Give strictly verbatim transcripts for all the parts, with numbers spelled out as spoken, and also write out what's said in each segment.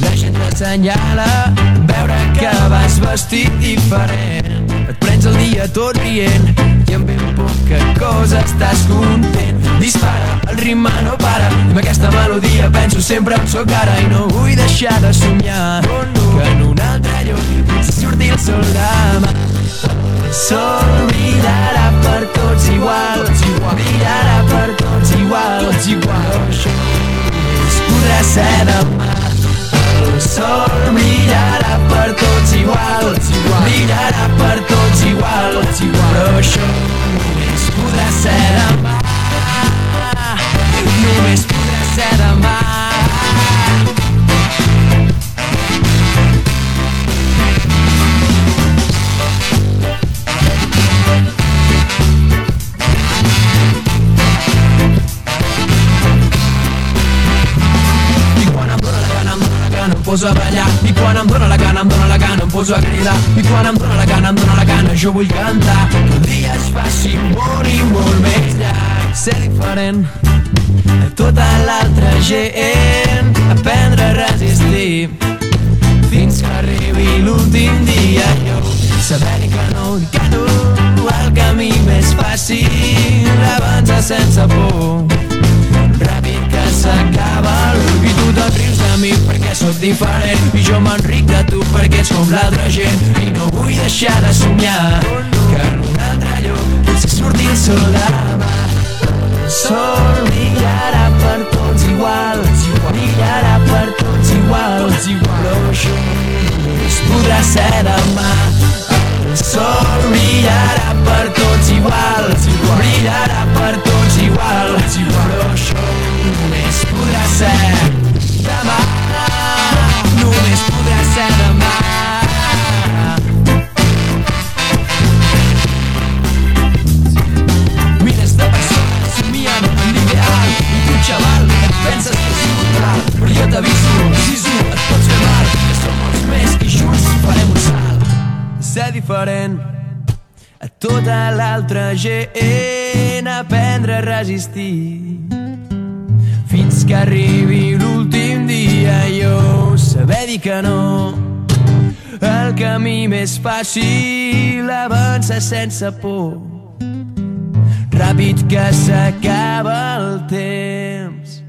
La gent t'assenyala, veure que vas vestit diferent. Et prens el dia tot rient i amb ben poca cosa estàs content. Dispara, el ritme no para, amb aquesta melodia penso sempre on sóc ara i no vull deixar de somiar que en un altre lloc potser surti el sol demà. El sol brillarà per tots igual, brillarà per tots igual, però això només podrà ser demà. El sol brillarà per tots igual, brillarà per tots igual, però això només podrà ser demà. Només podrà ser demà. Em poso a ballar i quan em dóna la gana, em dóna la gana, em poso a cridar i quan em dóna la gana, em dóna la gana, jo vull cantar que el dia es faci molt i molt més llarg, ser diferent a tota l'altra gent, aprendre a resistir fins que arribi l'últim dia. Jo saber que no, que no, el camí més fàcil avança sense por, ràpid que s'acaba i tu te'n rius de mi perquè sóc diferent i jo m'enric de tu perquè ets com l'altra gent i no vull deixar de somiar que en un altre lloc potser surti el sol demà. El sol brillarà per tots igual, brillarà per tots igual, però això només podrà ser demà. El sol brillarà per tots igual, brillarà per tots igual, però això només podrà ser demà. Només podrà ser demà. Mires de persones somiant amb l'ideal i tu, xaval, et penses que és brutal, però jo t'aviso, sisu, et pots fer mal, que som molts més i junts farem un salt. Ser diferent a tota l'altra gent, aprendre a resistir fins que arribi l'últim dia. Jo saber dir que no, el camí més fàcil avança sense por, ràpid que s'acaba el temps.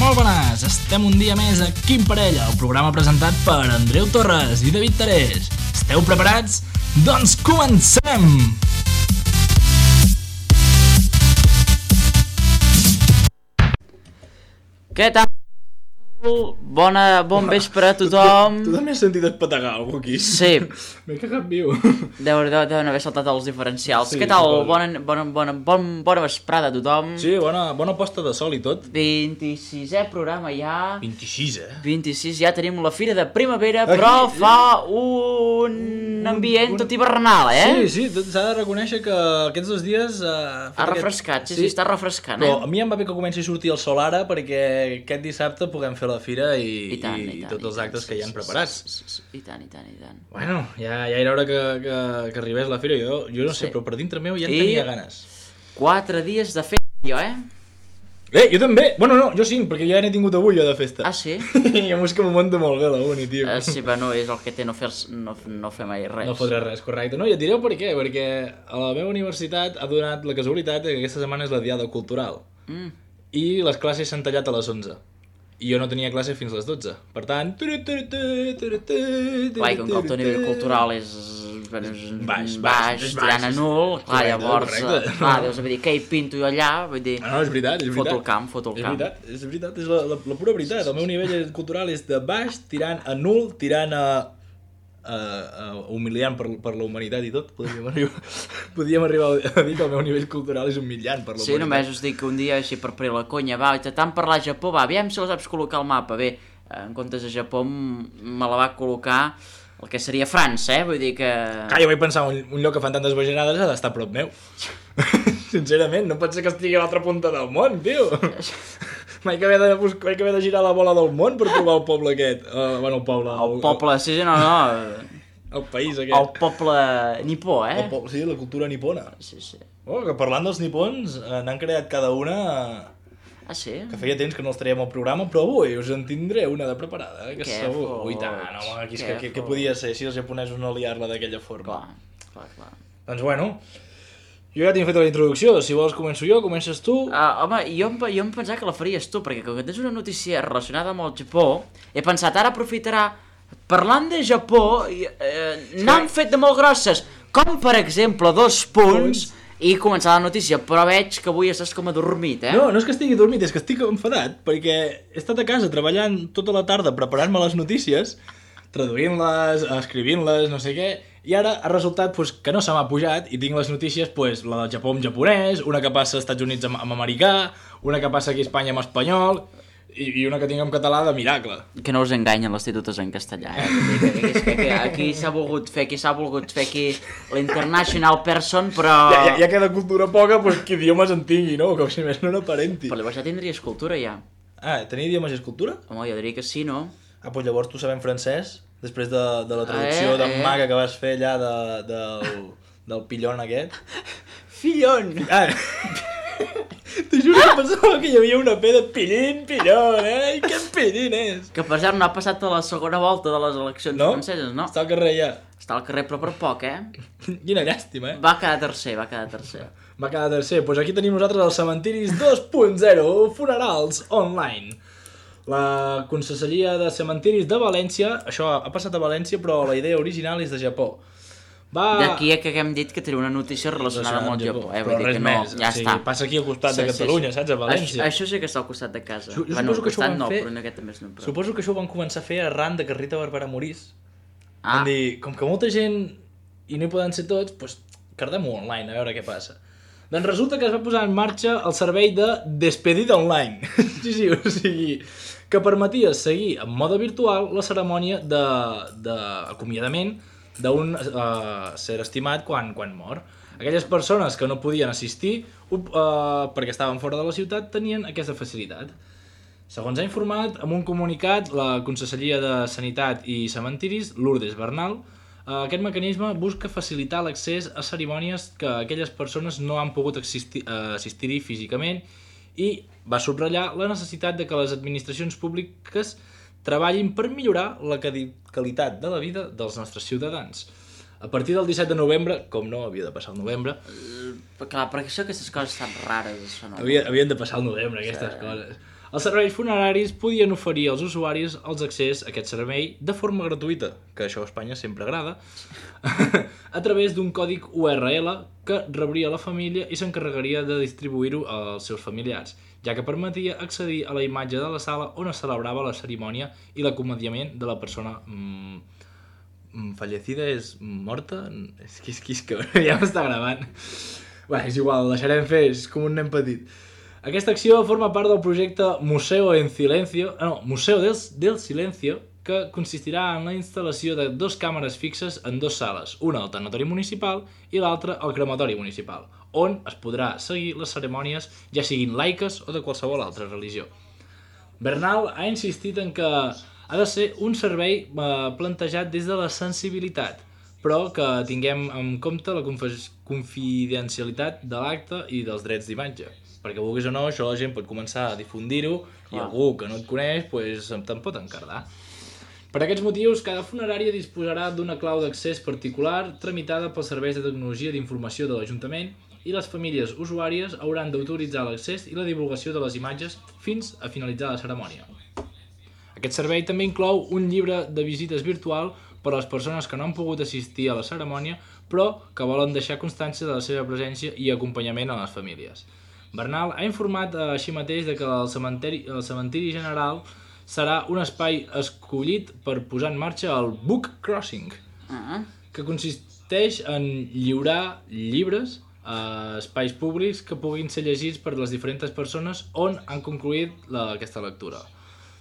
Molt bones, estem un dia més a Quim Parella, el programa presentat per Andreu Torres i David Terés. Esteu preparats? Doncs comencem! Què tal? Bona, bon vespre a tothom. Tu també has sentit espetegar algú aquí? Sí. M'he cagat viu. Deu, deu, deuen haver saltat els diferencials. Sí, Què tal? suposo. Bona, bona, bona, bon, bona vesprada a tothom. Sí, bona, bona posta de sol i tot. vint-i-sisè programa ja. vint-i-sis, eh? vint-i-sis, ja tenim la Fira de Primavera, Aquí. però fa un ambient tot hivernal, eh? Sí, sí, s'ha de reconèixer que aquests dos dies... Uh, Ha refrescat, sí, sí, està refrescant, Però a eh? mi em va bé que comenci a sortir el sol ara perquè aquest dissabte puguem fer la fira i, I tant, i, i tant, tots els i tant, actes sí, que hi han sí, preparats. sí, sí, sí. I tant, i tant, i tant. Bueno, ja, ja era hora que, que, que arribés la fira. Jo, jo no sé, Sí. però per dintre meu ja en I- tenia ganes. Quatre dies de festa, jo, eh? Eh, jo també! Bueno, no, jo cinc, perquè ja n'he tingut avui jo de festa. Ah, sí? I a més que m'ho munta molt bé la uni, tio. Uh, sí, però no és el que té no fer, no, no fer mai res. No fotré res, correcte. No, i et direu per què, perquè a la meva universitat ha donat la casualitat que aquesta setmana és la diada cultural. Mm. I les classes s'han tallat a les onze. I jo no tenia classe fins a les dotze. Per tant... Clar, i com que el teu nivell cultural és, bueno, és Baix, baix, baix, és tirant a baix. nul, clar, Correcte, llavors, correcte. eh, clar, deus haver dit, què hi pinto jo allà? Vull dir, Ah, no, és veritat, és veritat. foto el camp, foto el És camp. veritat, és veritat, és la, la, la pura veritat. El meu nivell cultural és de baix, tirant a nul, tirant a... a, a humiliant per, per la humanitat i tot. Podríem arribar, podríem arribar a dir que el meu nivell cultural és humiliant per la Sí, humanitat. només us dic que un dia, així per per la conya, va, tant parlar Japó, va, aviam si la saps col·locar al mapa. Bé, en comptes de Japó m- me la va col·locar el que seria França, eh? Vull dir que... Clar, jo vaig pensar, un, un lloc que fan tantes bajanades ha d'estar a prop meu. Sincerament, no pot ser que estigui a l'altra punta del món, tio. Vaig haver, de, bus- vaig haver de girar la bola del món per trobar el poble aquest. Uh, bueno, el poble... El poble, sí, sí, no, no... El país aquest. El poble nipó, eh? El po... Sí, la cultura nipona. Sí, sí. Oh, que parlant dels nipons, eh, n'han creat cada una... Ah, sí? Que feia temps que no els traiem al programa, però avui us en tindré una de preparada, eh? Que Què segur... fots? Ui, tant, home, aquí és Què que, que, que podia ser si els japonesos no liar-la d'aquella forma. Clar, clar, clar. Doncs bueno, jo ja tinc fet la introducció, si vols començo jo, comences tu... Uh, home, jo em, jo em pensava que la faries tu, perquè com que tens una notícia relacionada amb el Japó, he pensat, ara aprofitarà, parlant de Japó, eh, n'han fet de molt grosses, com per exemple dos punts, i començar la notícia, però veig que avui estàs com adormit, eh? No, no és que estigui dormit, és que estic enfadat, perquè he estat a casa treballant tota la tarda preparant-me les notícies, traduint-les, escrivint-les, no sé què, i ara ha resultat pues, que no se m'ha pujat i tinc les notícies, pues, la del Japó en japonès, una que passa als Estats Units amb, amb americà, una que passa aquí a Espanya amb espanyol, i, i una que tinc en català de miracle. Que no us enganyen les titutes en castellà, eh? Que, que, que, que, que aquí s'ha volgut fer, aquí s'ha volgut fer aquí l'international person, però... Ja, ja, ja queda cultura poca, pues, que idiomes en tingui, no? Com si més no n'aparenti. Però llavors ja tindries cultura, ja. Ah, tenia idiomes i escultura? Home, jo diria que sí, no? Ah, doncs llavors tu sabem francès, després de, de la traducció Eh, d'en eh. Maga que vas fer allà de, del, del pillon aquest. Fillon! Ah, t'ho juro que pensava que hi havia una P de pillín, pillon, eh? I què pillín és? Que per cert no ha passat a la segona volta de les eleccions No? franceses, no? Està al carrer ja. Està al carrer però per poc, eh? Quina llàstima, eh? Va quedar tercer, va quedar tercer. Va quedar tercer. Doncs pues aquí tenim nosaltres els cementiris dos punt zero, funerals online. La Conselleria de Cementiris de València, això ha passat a València, però la idea original és de Japó. Va... D'aquí a que haguem dit que tenia una notícia relacionada amb el Japó, eh? Vull Però dir res que no, més, ja o sigui, està. passa aquí al costat Sí, de sí, Catalunya, sí. saps? A València. Això, això sí que està al costat de casa. Jo, jo bueno, suposo que això ho costat van no, fer... però en aquest també és no. Però... Suposo que això ho van començar a fer arran de que Rita Barberà morís. Ah. Van dir, com que molta gent i no hi poden ser tots, doncs cardem-ho online, a veure què passa. Doncs resulta que es va posar en marxa el servei de despedida online. sí, sí, o sigui, que permetia seguir en mode virtual la cerimònia d'acomiadament d'un uh, ser estimat quan, quan mor. Aquelles persones que no podien assistir uh, perquè estaven fora de la ciutat tenien aquesta facilitat. Segons ha informat amb un comunicat la Conselleria de Sanitat i Cementiris, Lourdes Bernal, uh, aquest mecanisme busca facilitar l'accés a cerimònies que aquelles persones no han pogut assistir, uh, assistir-hi físicament i va subratllar la necessitat de que les administracions públiques treballin per millorar la qualitat de la vida dels nostres ciutadans. A partir del disset de novembre, com no havia de passar el novembre... Uh, clar, perquè això aquestes coses estan rares, això no. Havia, havien de passar el novembre, aquestes sí. coses. Els serveis funeraris podien oferir als usuaris els accés a aquest servei de forma gratuïta, que això a Espanya sempre agrada, a través d'un còdic U R L que rebria la família i s'encarregaria de distribuir-ho als seus familiars, ja que permetia accedir a la imatge de la sala on es celebrava la cerimònia i l'acomodiament de la persona mm, fallecida és morta? És que, és que, és que ja m'està gravant. Bé, és igual, ho deixarem fer, és com un nen petit. Aquesta acció forma part del projecte Museo en Silencio, no, Museo del, del Silencio, que consistirà en la instal·lació de dos càmeres fixes en dues sales, una al tanatori municipal i l'altra al crematori municipal, on es podrà seguir les cerimònies, ja siguin laiques o de qualsevol altra religió. Bernal ha insistit en que ha de ser un servei eh, plantejat des de la sensibilitat, però que tinguem en compte la confidencialitat de l'acte i dels drets d'imatge. Perquè vulguis o no, això la gent pot començar a difundir-ho i algú que no et coneix pues, te'n pot encardar. Per aquests motius, cada funerària disposarà d'una clau d'accés particular tramitada pels serveis de tecnologia d'informació de l'Ajuntament i les famílies usuàries hauran d'autoritzar l'accés i la divulgació de les imatges fins a finalitzar la cerimònia. Aquest servei també inclou un llibre de visites virtual per a les persones que no han pogut assistir a la cerimònia però que volen deixar constància de la seva presència i acompanyament a les famílies. Bernal ha informat així mateix de que el cementiri, el cementiri general serà un espai escollit per posar en marxa el Book Crossing, uh-huh. que consisteix en lliurar llibres a espais públics que puguin ser llegits per les diferents persones on han concluït la, aquesta lectura.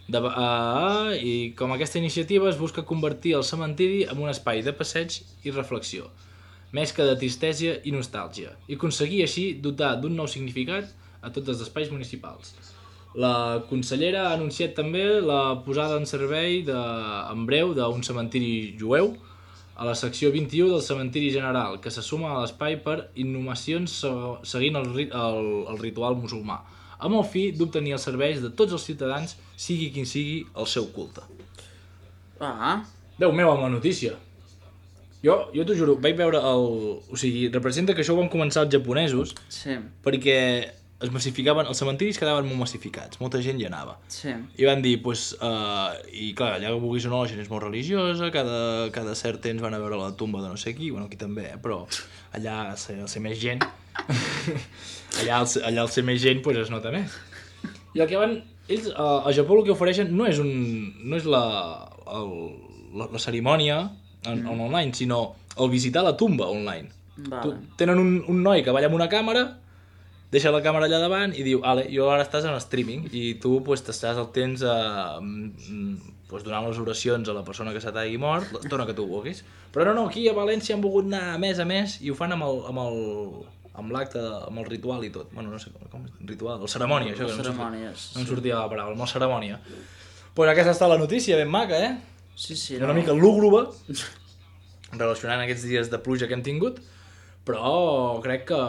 De, uh, I com aquesta iniciativa es busca convertir el cementiri en un espai de passeig i reflexió, més que de tristesa i nostàlgia, i aconseguir així dotar d'un nou significat a tots els espais municipals. La consellera ha anunciat també la posada en servei de, en breu d'un cementiri jueu a la secció vint-i-u del cementiri general, que se suma a l'espai per inhumacions seguint el, rit el, el ritual musulmà, amb el fi d'obtenir els serveis de tots els ciutadans, sigui quin sigui el seu culte. Ah. Déu meu, amb la notícia. Jo, jo t'ho juro, vaig veure el... O sigui, representa que això ho van començar els japonesos, Sí. perquè es massificaven, els cementiris quedaven molt massificats, molta gent hi anava. Sí. I van dir, pues, uh, i clar, allà vulguis o no, la gent és molt religiosa, cada, cada cert temps van a veure la tumba de no sé qui, bueno, aquí també, eh, però allà al ser, al ser més gent, allà al, ser- allà al ser més gent, pues, es nota més. I el que van, ells, uh, a Japó el que ofereixen no és, un, no és la, el, la, la cerimònia en, mm. en online, sinó el visitar la tumba online. Vale. Tu, tenen un, un noi que balla amb una càmera, deixa la càmera allà davant i diu, ale, jo ara estàs en streaming i tu pues, t'estàs el temps a, pues, donant les oracions a la persona que se t'hagi mort, l'estona que tu vulguis. Però no, no, aquí a València han volgut anar a més a més i ho fan amb el, amb el, amb l'acte, amb el ritual i tot. Bueno, no sé com, com ritual, el cerimònia, això que no em Cerimònies. sortia, no em sortia la paraula, amb el cerimònia. Pues aquesta està la notícia, ben maca, eh? Sí, sí. Una mica lúgubre, relacionant aquests dies de pluja que hem tingut, però crec que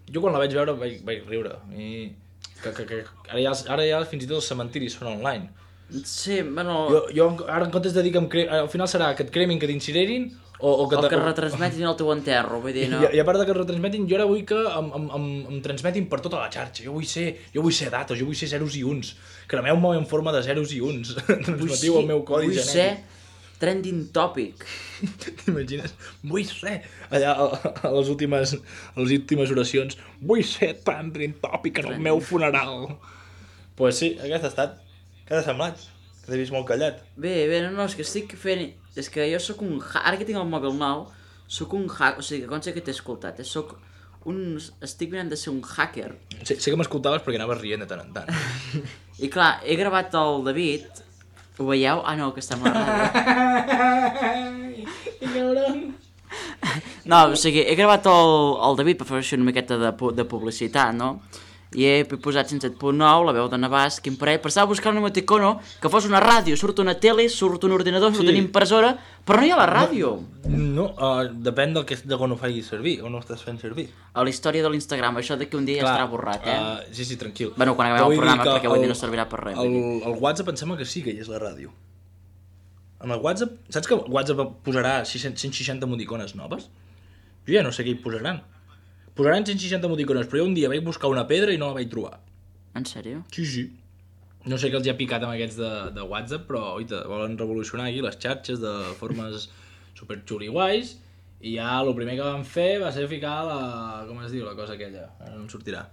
jo quan la vaig veure vaig, vaig riure. I que, que, que ara, ja, ara ja fins i tot els cementiris són online. Sí, bueno... Jo, jo ara en comptes de dir que em cre... al final serà que et cremin, que t'incinerin o, o que... O te- que retransmetin el teu enterro, vull dir, no... I, I a part de que es retransmetin, jo ara vull que em, em, em, em transmetin per tota la xarxa. Jo vull ser, jo vull ser datos, jo vull ser zeros i uns. Cremeu-me en forma de zeros i uns. Transmetiu el meu codi vull genètic. ser trending topic. T'imagines? Vull ser, allà a, a, les últimes, a les últimes oracions, vull ser trending topic en el meu funeral. Pues sí, aquest ha estat. Què t'ha semblat? Que t'he vist molt callat. Bé, bé, no, no, és que estic fent... És que jo sóc un... Ha... Ara que tinc el mòbil nou, sóc un hack... O sigui, que consta que t'he escoltat, eh? Sóc un... Estic mirant de ser un hacker. Sé, sé que m'escoltaves perquè anaves rient de tant en tant. I clar, he gravat el David... Ho veieu? Ah, no, que està amb la ràdio. No, o sigui, he gravat el, el David per fer una miqueta de, pu- de publicitat, no? I he posat cent set punt nou, la veu de Navàs, quin parell, però estava buscant un emoticono que fos una ràdio, surt una tele, surt un ordinador, surt Sí. una impressora, però no hi ha la ràdio. No, uh, depèn del que, de quan ho facis servir, on ho estàs fent servir. A la història de l'Instagram, això d'aquí un dia ja estarà borrat, eh? Uh, sí, sí, tranquil. Bueno, quan acabem Però el vull programa, dir que perquè vull dir no servirà per res, vull El, el WhatsApp em sembla que sí que hi és la ràdio. En el WhatsApp, saps que el WhatsApp posarà cent seixanta emoticones noves? Jo ja no sé què hi posaran. Posaran cent seixanta emoticones, però jo un dia vaig buscar una pedra i no la vaig trobar. En sèrio? Sí, sí. No sé què els hi ha picat amb aquests de, de WhatsApp, però oita, volen revolucionar aquí les xarxes de formes super xuliguais i ja el primer que van fer va ser ficar la... com es diu la cosa aquella? Ara no em sortirà.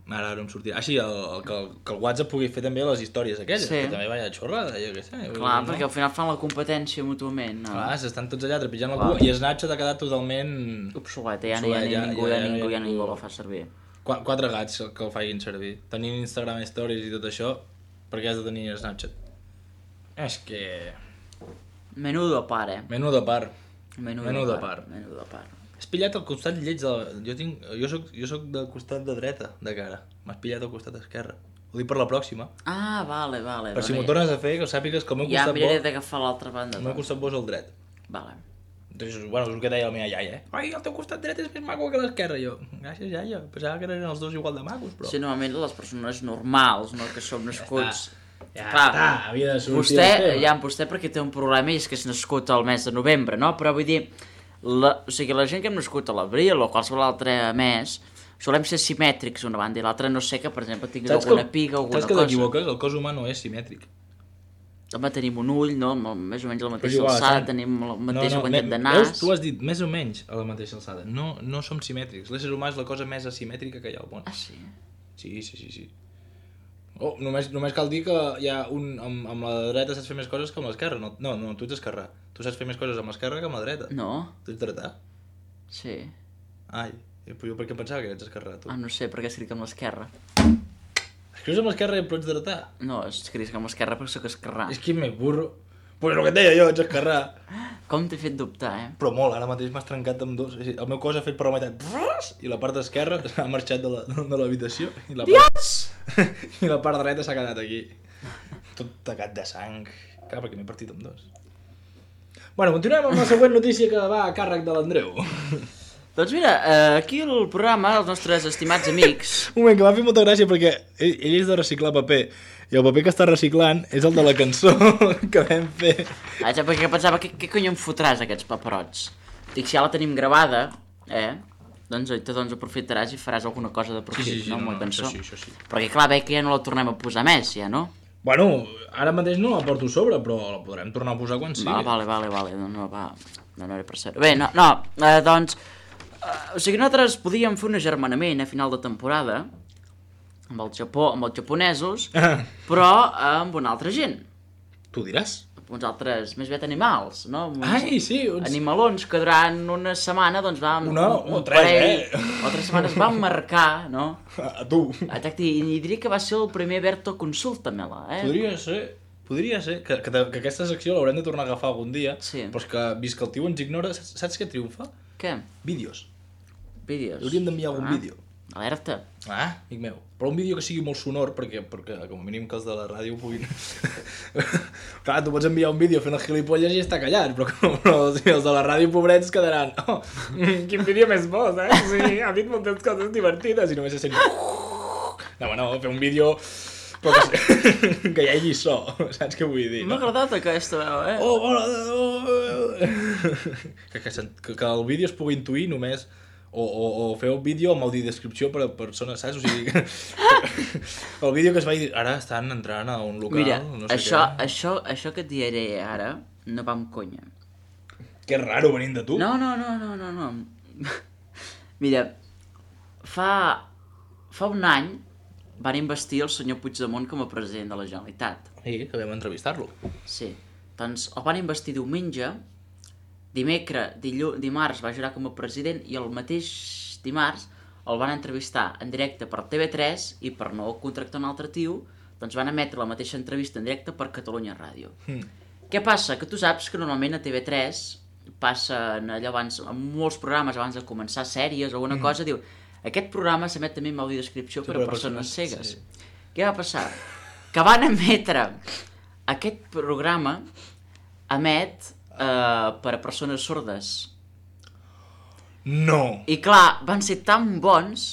Ara no em sortirà. Ah, sí, el, el, que, el, que el WhatsApp pugui fer també les històries aquelles, Sí. que també vaya xorrada, jo què sé. Clar, no? perquè al final fan la competència mútuament, no? Clar, s'estan tots allà trepitjant la Clar. cua i Snapchat ha quedat totalment... Obsoleta, ja no hi ha Obsolet, ni ja- ningú, ja- ja ja- ningú, ja ja ningú. ningú que el fa servir. Qu quatre gats que el facin servir. Tenint Instagram Stories i tot això, per què has de tenir Snapchat? És que... Menudo part, eh? Menuda part. Menudo, Menuda part. part. Menudo part. Has pillat el costat lleig de la... Jo, tinc... jo, soc... jo soc del costat de dreta, de cara. M'has pillat el costat esquerre. Ho dic per la pròxima. Ah, vale, vale. Per si vale. m'ho tornes a fer, que sàpigues que el meu Ja costat miraré bo... d'agafar l'altra banda. El meu doncs. costat bo és el dret. Vale. Doncs, bueno, és el que deia la meva iaia, eh? Ai, el teu costat dret és més maco que l'esquerre. Jo, gràcies, iaia. Pensava que eren els dos igual de macos, però... Sí, normalment les persones normals, no? Que som nascuts... Ja Clar, està, havia de sortir Vostè, el tema. ja, vostè perquè té un problema i és que és nascut al mes de novembre, no? Però vull dir, la, o sigui, la gent que hem nascut a l'abril o qualsevol altre mes, solem ser simètrics una banda i l'altra no sé que, per exemple, tinguis Saps alguna que, piga, alguna saps que cosa. t'equivoques? El cos humà no és simètric. Home, tenim un ull, no? Més o menys a la Però és mateixa igual, alçada, Sant. tenim la mateixa me- quantitat de Veus? nas... Tu has dit més o menys a la mateixa alçada. No, no som simètrics. L'ésser humà és la cosa més asimètrica que hi ha al món. Ah, sí? Sí, sí, sí, sí. Oh, només, només cal dir que hi ha un... Amb, amb la dreta saps fer més coses que amb l'esquerra. No, no, no, tu ets esquerrà. Tu saps fer més coses amb l'esquerra que amb la dreta. No? Tu ets dretà. Sí. Ai, però jo per què pensava que ets esquerrà, tu? Ah, no sé, perquè escric amb l'esquerra. Escrius amb l'esquerra però ets dretà. No, escric amb l'esquerra perquè sóc esquerrà. És que més burro. Pues el que et deia jo, ets esquerrà. Com t'he fet dubtar, eh? Però molt, ara mateix m'has trencat amb dos. És a dir, el meu cos ha fet per la meitat i la part esquerra ha marxat de la- de l'habitació i, la part... i la part dreta s'ha quedat aquí. Tot tacat de sang. Clar, perquè m'he partit amb dos. Bueno, continuem amb la següent notícia que va a càrrec de l'Andreu. Doncs mira, eh, aquí el programa, els nostres estimats amics... Un moment, que m'ha fet molta gràcia perquè ell, ell és de reciclar paper i el paper que està reciclant és el de la cançó que vam fer. Ah, ja, perquè pensava, què, què cony em fotràs aquests paperots? Dic, si ja la tenim gravada, eh, doncs te doncs aprofitaràs i faràs alguna cosa de profit, Sí, sí, sí, no, amb no, la no, cançó. això sí, això sí. Perquè clar, veig que ja no la tornem a posar més, ja, no? Bueno, ara mateix no la porto a sobre, però la podrem tornar a posar quan sigui. Va, vale, vale, vale, no, no, va, no, no era per ser. Bé, no, no, eh, doncs, eh, o sigui, nosaltres podíem fer un agermanament a final de temporada amb el Japó, amb els japonesos, Ah, però amb una altra gent, tu diràs. uns altres, més aviat animals, no? Uns Ai, sí, uns... animalons que durant una setmana, doncs, vam... Una un o tres, parell, eh? o tres setmanes vam marcar, no? A tu. Exacte, i, i diria que va ser el primer Berto Consulta-me-la, eh? Podria ser, podria ser, que, que, que aquesta secció l'haurem de tornar a agafar algun dia, Sí. però és que, vist que el tio ens ignora, saps, saps què triomfa? Què? Vídeos. Vídeos. Hauríem d'enviar algun Ah, vídeo. Alerta. Ah, amic meu. Però un vídeo que sigui molt sonor, perquè, perquè com a mínim que els de la ràdio puguin... Clar, tu pots enviar un vídeo fent el gilipolles i està callat, però, però els, els de la ràdio pobrets quedaran... Oh, mm, quin vídeo més bo, eh? Sí, ha dit moltes coses divertides i només se sent... No, home, no, fer un vídeo... Però que, que hi hagi so, saps què vull dir? M'ha No? agradat aquesta veu, eh? Oh, bona... Oh, que, que, que, que el vídeo es pugui intuir només... O, o, o fer un vídeo amb audiodescripció per a persones, saps? O sigui, el vídeo que es va dir, ara estan entrant a un local, Mira, no sé això, què. això, això que et diré ara no va amb conya. Que raro venint de tu. No, no, no, no, no, no. Mira, fa, fa un any van investir el senyor Puigdemont com a president de la Generalitat. Sí, que vam entrevistar-lo. Sí. Doncs el van investir diumenge, dimecres, dillu, dimarts va jurar com a president i el mateix dimarts el van entrevistar en directe per T V tres i per no contractar un altre tio, doncs van emetre la mateixa entrevista en directe per Catalunya Ràdio. Mm. Què passa? Que tu saps que normalment a T V tres passen allò abans, en molts programes abans de començar sèries o alguna mm. cosa, diu aquest programa s'emet també amb audiodescripció per a persones cegues. Sí. Què va passar? Que van emetre aquest programa emet Uh, per a persones sordes. No! I clar, van ser tan bons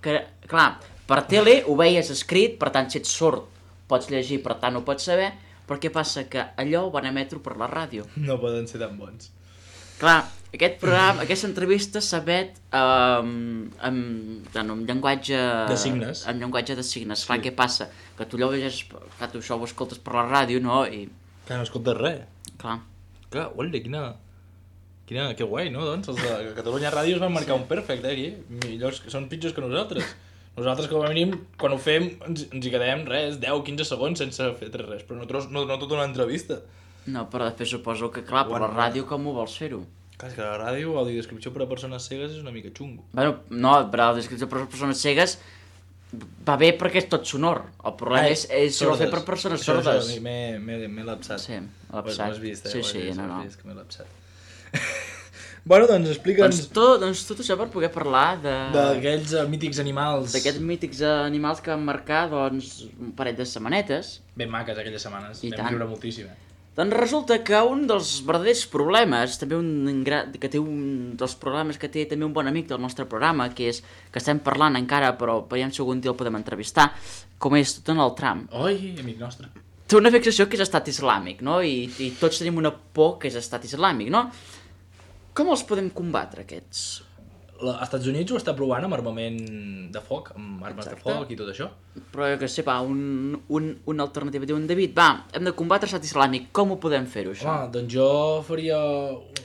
que, clar, per tele ho veies escrit, per tant si ets sord pots llegir, per tant ho pots saber, però què passa? Que allò ho van emetre per la ràdio. No poden ser tan bons. Clar, aquest programa, aquesta entrevista s'emet um, amb, en un llenguatge... De signes. En llenguatge de signes. Sí. Clar, què passa? Que tu allò ho llegeixes, clar, tu això ho escoltes per la ràdio, no? I, Que no escoltes res. clar, Que, ole, quina... Quina... Que guai, no? Doncs els de Catalunya Ràdio es van marcar un perfect, eh, aquí. Millors, són pitjors que nosaltres. Nosaltres, com a mínim, quan ho fem, ens, ens hi quedem, res, deu quinze segons sense fer res, però nosaltres no, no tota una entrevista. no, però després suposo que, clar, per Bueno, la ràdio com ho vols fer-ho? Clar, és que la ràdio, audiodescripció per a persones cegues és una mica xungo. Bueno, no, per a la descripció per a persones cegues va bé perquè és tot sonor. El problema Ai, és, és si ho fer per persones això, sordes. Això, m'he- m'he m'he lapsat. Sí, Ho lapsat. has vist, eh? Sí, Ho has sí, vist, no, ho has no. vist, que m'he lapsat. Bueno, doncs explica'ns Doncs tot, doncs tot això per poder parlar de... d'aquells uh, mítics animals d'aquests mítics animals que van marcar, doncs, un parell de setmanetes. ben maques aquelles setmanes. I Vam tant. riure moltíssim. Eh? Doncs resulta que un dels verdaders problemes, també un gra... que té un dels problemes que té també un bon amic del nostre programa, que és que estem parlant encara, però veiem si algun dia el podem entrevistar, com és Donald Trump. Oi, amic nostre. Té una fixació que és estat islàmic, no? I, i tots tenim una por que és estat islàmic, no? Com els podem combatre, aquests? La, als Estats Units ho està provant amb armament de foc, amb armes Exacte. de foc i tot això. Però jo que sé, va, un, un, una alternativa. Diuen, David, va, hem de combatre l'estat islàmic, com ho podem fer-ho, això? Home, doncs jo faria...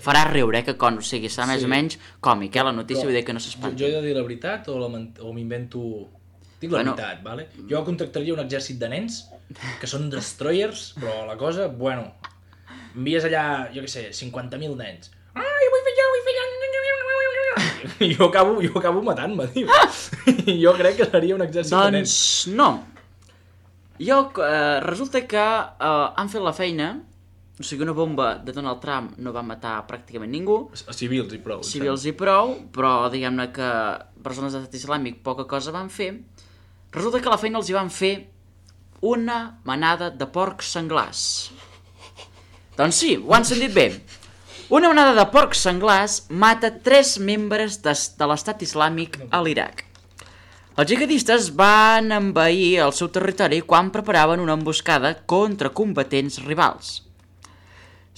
Farà riure, eh, que con, o sigui, serà més Sí. o menys còmic, eh, la notícia, Però vull dir que no Jo, s'espanti. jo he de dir la veritat o, la ment- o m'invento... Dic la Bueno. veritat, vale? Jo contractaria un exèrcit de nens que són destroyers, però la cosa, bueno, envies allà, jo què sé, cinquanta mil nens. Ai, vull fer allò, vull fer allò... I jo acabo, jo acabo matant-me, tio. Jo crec que seria un exèrcit de nens. Doncs no. Jo, eh, resulta que eh, han fet la feina, o sigui, una bomba de Donald Trump no va matar pràcticament ningú, A civils i prou. civils i prou, però diguem-ne que persones d'estat islàmic poca cosa van fer. Resulta que a la feina els hi van fer una manada de porcs senglars. Doncs sí, ho han sentit bé. Una manada de porcs senglars mata tres membres de, de l'estat islàmic a l'Iraq. Els jihadistes van envair el seu territori quan preparaven una emboscada contra combatents rivals.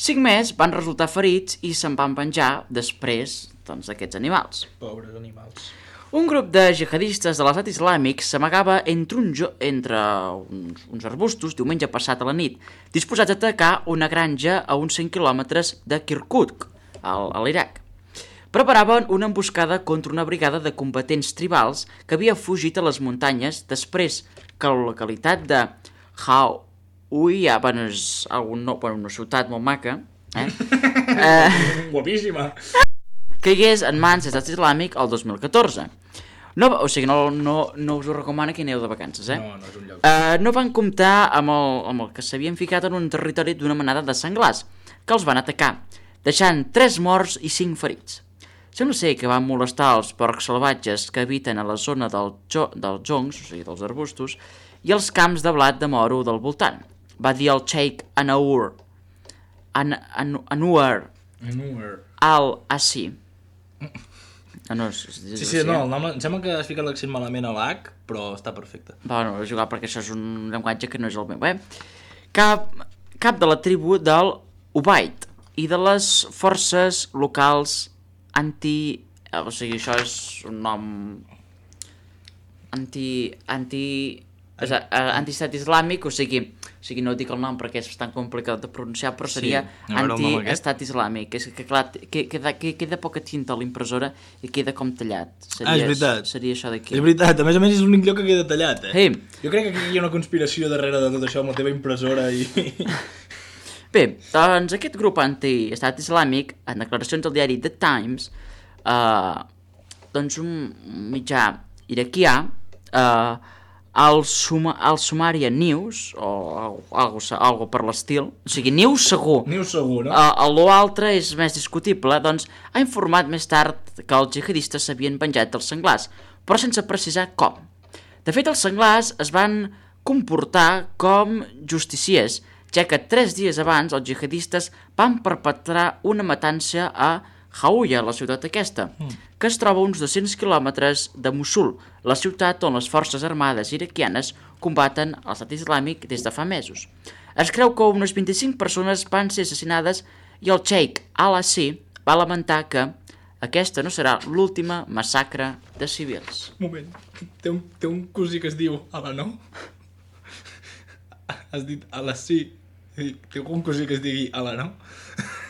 Cinc més van resultar ferits i se'n van venjar després doncs, d'aquests animals. Pobres animals. Un grup de jihadistes de l'estat islàmic s'amagava entre, un jo entre uns, uns arbustos diumenge passat a la nit, disposats a atacar una granja a uns cent quilòmetres de Kirkuk, al, a l'Iraq. Preparaven una emboscada contra una brigada de combatents tribals que havia fugit a les muntanyes després que la localitat de Hawiyah, bueno, és algun, no, bueno, una ciutat molt maca, eh? eh Guapíssima. caigués en mans de l'estat islàmic el dos mil catorze. No, o sigui, no, no, no us ho recomano que aneu de vacances, eh? No, no és un lloc. Uh, no van comptar amb el, amb el que s'havien ficat en un territori d'una manada de senglars, que els van atacar, deixant tres morts i cinc ferits. Sembla ser que van molestar els porcs salvatges que habiten a la zona del jo, dels joncs, o sigui, dels arbustos, i els camps de blat de moro del voltant, va dir el Sheikh Anwar An, An, Anwar Anwar al-Assi. Ah, no, és, és Sí, sí, no, el nom, em sembla que has ficat l'accent malament a l'H, però està perfecte. Bueno, he jugat perquè això és un llenguatge que no és el meu, eh? Cap, cap de la tribu del Ubaid i de les forces locals anti... O sigui, això és un nom... Anti... Anti... O sigui, anti-estat islàmic, o sigui, o sigui, no dic el nom perquè és bastant complicat de pronunciar, però seria Sí, a veure el nom anti-estat islàmic. És que, clar, que, queda, que, queda poca tinta a l'impressora i queda com tallat. Seria, Ah, és veritat. Seria això d'aquí. És veritat, a més a més és l'únic lloc que queda tallat, eh? Sí. Jo crec que aquí hi ha una conspiració darrere de tot això amb la teva impressora i... Bé, doncs aquest grup anti-estat islàmic, en declaracions al diari The Times, eh, doncs un mitjà iraquià, eh, el, Suma, el Sumaria News, o algo, algo per l'estil, o sigui, News segur, News segur, no? uh, l'altre és més discutible, doncs ha informat més tard que els jihadistes s'havien venjat dels senglars, però sense precisar com. De fet, els senglars es van comportar com justiciers, ja que tres dies abans els jihadistes van perpetrar una matança a Hawiyah, la ciutat aquesta, mm. que es troba a uns dos-cents quilòmetres de Mosul, la ciutat on les forces armades iraquianes combaten l'estat islàmic des de fa mesos. Es creu que unes vint-i-cinc persones van ser assassinades i el Sheikh al-Assi va lamentar que aquesta no serà l'última massacre de civils. Un moment, té un, té un cosí que es diu Ala no? Has dit Ala sí. Té un cosí que es digui Ala no?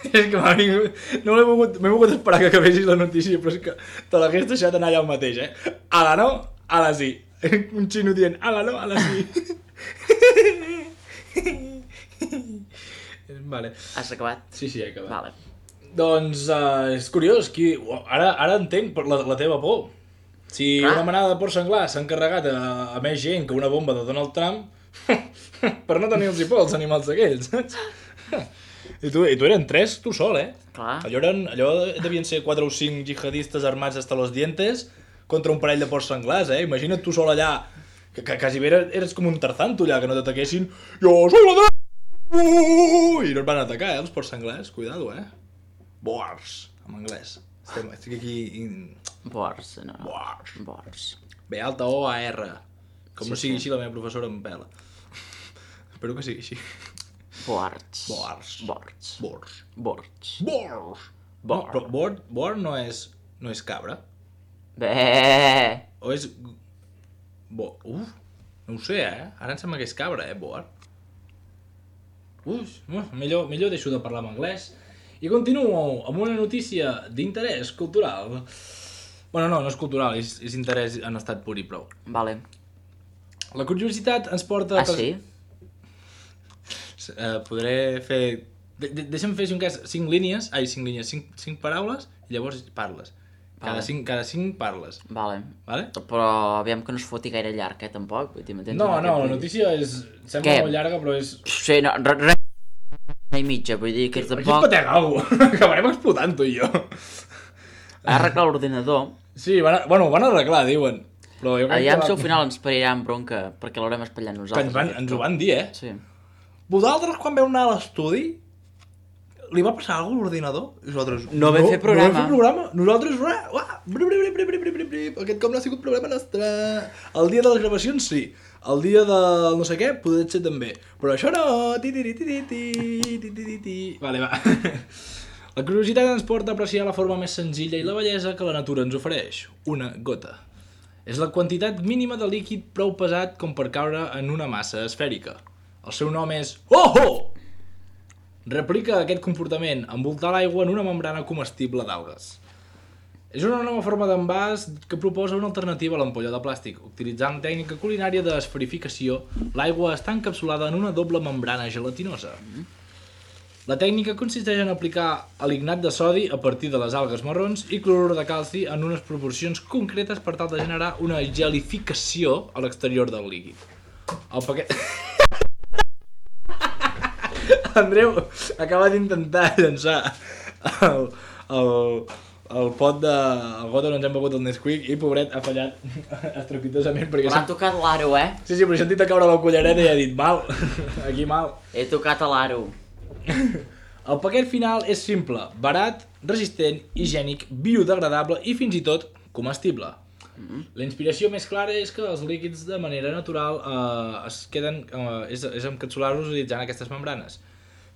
És que m'ha vingut... No m'he volgut, m'he volgut esperar que acabessis la notícia, però és que te l'hagués deixat anar allà el mateix, eh? Ala no? Ala sí. Un xino dient Ala no? Ala sí. Vale. Has acabat? Sí, sí, he acabat. Vale. Doncs uh, és curiós, qui... ara, ara entenc per la, la teva por. Si Ah. una manada de porcs senglars s'ha encarregat a, a més gent que una bomba de Donald Trump, per no tenir-los por els animals aquells, saps? I tu, I tu eren tres, tu sol, eh? Clar. Allò, eren, allò devien ser quatre o cinc jihadistes armats hasta los dientes contra un parell de porcs senglars, eh? Imagina't tu sol allà, que, que quasi bé eres, eres com un tarzan, tu allà, que no t'ataquessin. Jo soy la de... I no et van atacar, eh, els porcs senglars, cuidado, eh? Boars, en anglès. Estem, estic aquí... In... Bors, no. Boars. Bors. B alta O A R. Com Sí, no sigui sí. així, la meva professora em pela. Espero que sigui així. Bords. Bords. Bords. Boars. Bords. Boars. No, Boar. però boar, boar no és, no és cabra. Bé. O és... Bo... Uf, no ho sé, eh? Ara em sembla que és cabra, eh, boar. Uf, uf, millor, millor deixo de parlar en anglès. I continuo amb una notícia d'interès cultural. Bueno, no, no és cultural, és, és interès en estat pur i prou. Vale. La curiositat ens porta... Ah, sí? Uh, podré fer... De, de, deixa'm fer, si un cas, cinc línies, ai, cinc línies, cinc, cinc paraules, i llavors parles. Cada, Vale. cinc, cada cinc parles, Vale. vale? Però aviam que no es foti gaire llarg, eh, tampoc. Vull dir, m'entens? No, Amb no, aquest la vull dir. notícia és... Sembla Què? molt llarga, però és... Sí, no, res... Re... i mitja, vull dir que és Aquí es tampoc... patega alguna cosa. Acabarem explotant, tu i jo. Ha arreglat l'ordinador. Sí, van, a- bueno, ho van arreglar, diuen. Però jo crec Aviam que... si va- al final ens parirem bronca, perquè l'haurem espatllat Que nosaltres. ens, van, ens ho van dir, eh? Sí. Vosaltres, quan veu anar a l'estudi, li va passar alguna cosa a l'ordinador? Nosaltres, no vam fer programa. No vam fer programa. Nosaltres, uah, uah, bri, bri, bri, bri, bri, bri, bri. Aquest cop no ha sigut problema nostre. El dia de les gravacions, sí. El dia del no sé què, potser ser també. Però això no. Ti, ti, ti, ti, ti, ti, ti, ti. Vale, va. La curiositat ens porta a apreciar la forma més senzilla i la bellesa que la natura ens ofereix. Una gota. És la quantitat mínima de líquid prou pesat com per caure en una massa esfèrica. El seu nom és Ojo! Replica aquest comportament envoltar l'aigua en una membrana comestible d'algues. És una nova forma d'envàs que proposa una alternativa a l'ampolla de plàstic. Utilitzant tècnica culinària d'esferificació, l'aigua està encapsulada en una doble membrana gelatinosa. La tècnica consisteix en aplicar alignat de sodi a partir de les algues marrons i clorur de calci en unes proporcions concretes per tal de generar una gelificació a l'exterior del líquid. El paquet... Andreu acaba d'intentar llançar el, el, el pot de... el got on ens hem begut el Nesquik i, pobret, ha fallat estrepitosament perquè... M'ha tocat l'aro, eh? Sí, sí, però he sentit a caure la cullereta i ha dit mal, aquí mal. He tocat a l'aro. El paquet final és simple, barat, resistent, higiènic, biodegradable i fins i tot comestible. Mm-hmm. La inspiració més clara és que els líquids de manera natural eh, es queden, eh, és, és encapsular-los utilitzant aquestes membranes.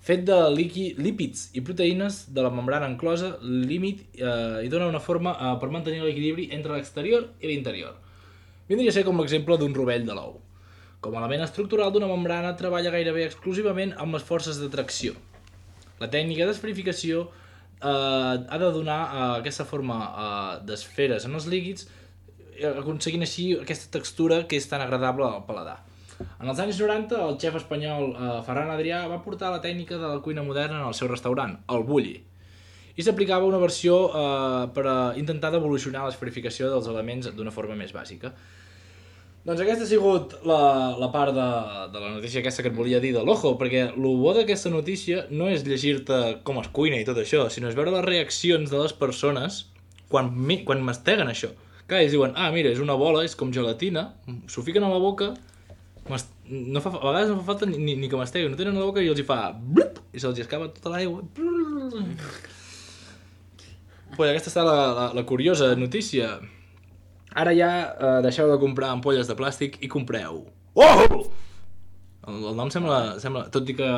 Fet de líqui, lípids i proteïnes de la membrana enclosa, límit eh, i dona una forma eh, per mantenir l'equilibri entre l'exterior i l'interior. Vindria a ser com l'exemple d'un rovell de l'ou. Com a element estructural d'una membrana, treballa gairebé exclusivament amb les forces de tracció. La tècnica d'esferificació eh, ha de donar eh, aquesta forma eh, d'esferes en els líquids, eh, aconseguint així aquesta textura que és tan agradable al paladar. En els anys noranta, el xef espanyol eh, Ferran Adrià va portar la tècnica de la cuina moderna en el seu restaurant, el Bulli, i s'aplicava una versió eh, per a intentar d'evolucionar l'esferificació dels elements d'una forma més bàsica. Doncs aquesta ha sigut la, la part de, de la notícia aquesta que et volia dir de l'Ojo, perquè el bo d'aquesta notícia no és llegir-te com es cuina i tot això, sinó és veure les reaccions de les persones quan, quan masteguen això. Clar, ells diuen, ah, mira, és una bola, és com gelatina, s'ho fiquen a la boca, no fa, a vegades no fa falta ni, ni que masteguen, no tenen a la boca i els hi fa blup, i se'ls escapa tota l'aigua. Pues aquesta està la, la, la curiosa notícia. Ara ja eh, deixeu de comprar ampolles de plàstic i compreu. Oh! El, el nom sembla, sembla tot, i que,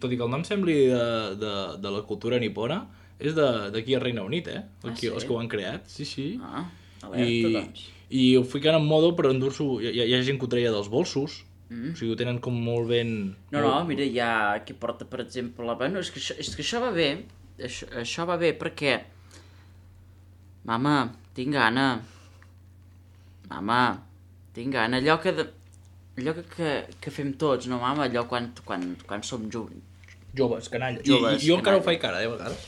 tot i que el nom sembli de, de, de la cultura nipona, és d'aquí a Regne Unit, eh? Ah, Aquí, sí? Els que ho han creat, sí, sí. Ah, alerta, I, doncs. I ho fiquen en modo per endur-s'ho, hi, hi ha gent que ho treia dels bolsos, mm. O sigui, ho tenen com molt ben... No, no, mira, hi ha qui porta, per exemple, la... Bueno, és que això, és que això va bé, això, això va bé perquè... Mama, tinc gana... Mama, tinc gana, allò que, de, allò que, que, que fem tots, no, mama? Allò quan, quan, quan som jo, Joves, canalla. Joves, I, i jo encara canalla. ho faig cara, eh, a vegades.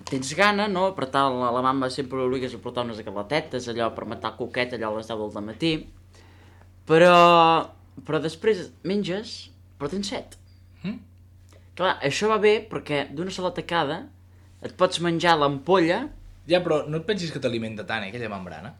Tens gana, no? Per tant, la, la mama sempre l'obligues a portar unes galetetes, allò per matar coquet, allò a les deu del matí. Però, però després menges, però tens set. Mm? Clar, això va bé perquè d'una sola tacada et pots menjar l'ampolla. Ja, però no et pensis que t'alimenta tant, eh, aquella membrana.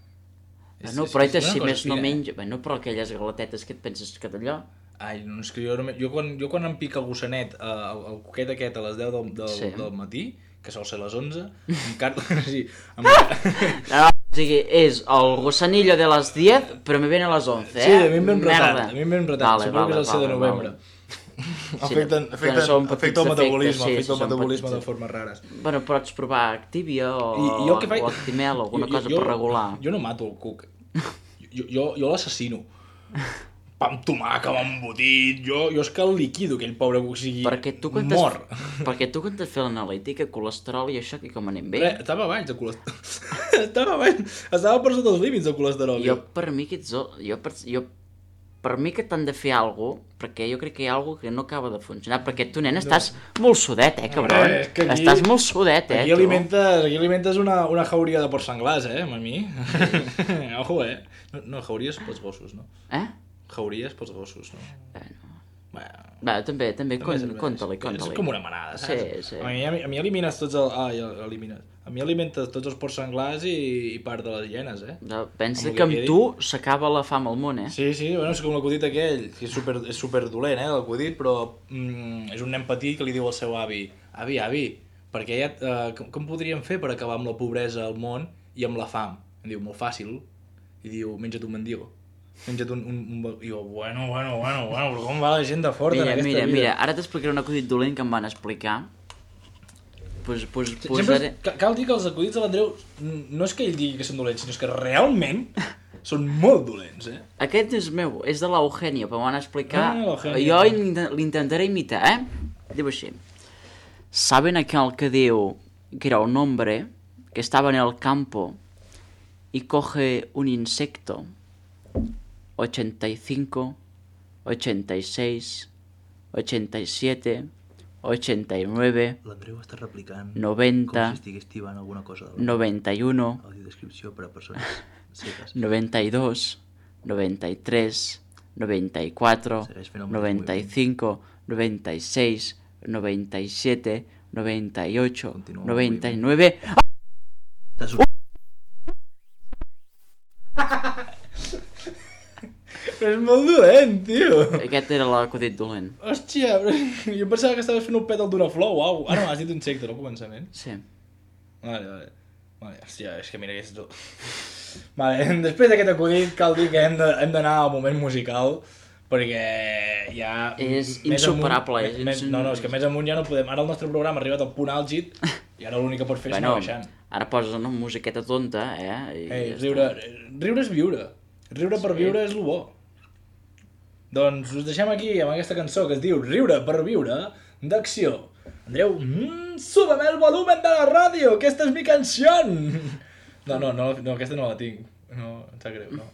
Bueno, però és, si més no menja... Bueno, però aquelles galetetes que et penses que d'allò... Ai, no, és que jo, no, jo, quan, jo quan em pica el gossanet, eh, el, el coquet aquest a les deu del, del, Sí. del matí, que sol ser a les onze, encara... sí, em... No, o sigui, és el gossanillo de les diez, però me ven a les onze, eh? Sí, a mi em ven retat, Merda. a mi em ven retat, Vale, suposo vale, que és el set de vale, novembre. vale. Afecten, Sí, afecten, són petits afecta el metabolisme, efectes, sí, afecta sí, el són metabolisme petits. de formes rares. Bueno, pots provar Activia o, I, i jo el que faig... o Actimel o alguna jo, cosa jo, per regular. Jo no mato el cuc. Jo, jo, jo l'assassino. Pa amb tomàquet, amb embotit, jo, jo és que el liquido, aquell pobre cuc, o sigui, Perquè tu quan mor. t'has perquè tu quan t'has fet l'analítica, colesterol i això, que com anem bé? Re, estava baix de colesterol. estava baix, estava per sota dels límits de colesterol. Jo, per mi, que ets... Jo, per, jo, per mi que t'han de fer alguna cosa, perquè jo crec que hi ha alguna cosa que no acaba de funcionar, perquè tu, nen, estàs no. molt sudet, eh, cabron? Eh, és que aquí- Estàs molt sudet, eh, Aquí tu? alimentes, aquí alimentes una, una jauria de porc senglars, eh, mami? Ojo, eh? No, no, jauries pels gossos, no? Eh? Jauries pels gossos, no? Bueno, Bueno, va, també, també, també con, serveix. conta-li, És conta-li. com una manada, saps? Sí, sí. A mi, a mi, a mi elimines tots els... Ah, ja elimines. A mi alimentes tots els porcs senglars i, i part de les hienes, eh? No, pensa Amb el que amb que tu s'acaba la fam al món, eh? Sí, sí, bueno, és com l'acudit aquell, que és super, és super dolent, eh, l'acudit, però mm, és un nen petit que li diu al seu avi avi, avi, perquè ja, uh, com, com podríem fer per acabar amb la pobresa al món i amb la fam? Em diu, molt fàcil. I diu, menja't un mendigo. Menja't un... un, un... I jo, bueno, bueno, bueno, bueno, però com va la gent de fort mira, en aquesta mira, vida? Mira, ara t'explicaré un acudit dolent que em van explicar. Pues, pues, Sempre posaré... ca- cal dir que els acudits de l'Andreu no és que ell digui que són dolents, sinó que realment són molt dolents, eh? Aquest és meu, és de l'Eugenio, però m'ho van explicar. Ah, l'Eugenio. Jo l'int- l'intentaré imitar, eh? Diu així. ¿Saben aquel que diu que era un hombre que estaba en el campo y coge un insecto? ochenta y cinco, ochenta y seis, ochenta y siete, ochenta y nueve, L'Andreu està replicant noventa, com si estigués tibant alguna cosa de la noventa y uno, audiodescripció per a persones cegues. noventa y dos, noventa y tres, noventa y cuatro, Segueix fent el mateix noventa y cinco, noventa y seis, noventa y siete, noventa y ocho, Continua el noventa y moviment. nueve... T'has- Però és molt dolent, tio. Aquest era l'acudit dolent. Hòstia, però jo pensava que estaves fent un pètal d'una flor, uau. Ah, no, has dit un insecte, no, al començament. Sí. Vale, vale. Vale, hòstia, és que mira que és... do- Vale, després d'aquest acudit cal dir que hem de- hem d'anar al moment musical, perquè ja... És més insuperable, amunt- és més, ins- no, no, és que més amunt ja no podem... Ara el nostre programa ha arribat al punt àlgid i ara l'únic que pots fer és Bueno, anar baixant. ara poses una musiqueta tonta, eh? I Ei, ja riure, riure és viure. Riure per Sí. viure és lo bo. Doncs us deixem aquí amb aquesta cançó que es diu Riure per viure, d'Acció. Andreu, mmm, súbeme el volumen de la ràdio, que esta és mi canció! No, no, no, no, aquesta no la tinc. No, em sap greu, no.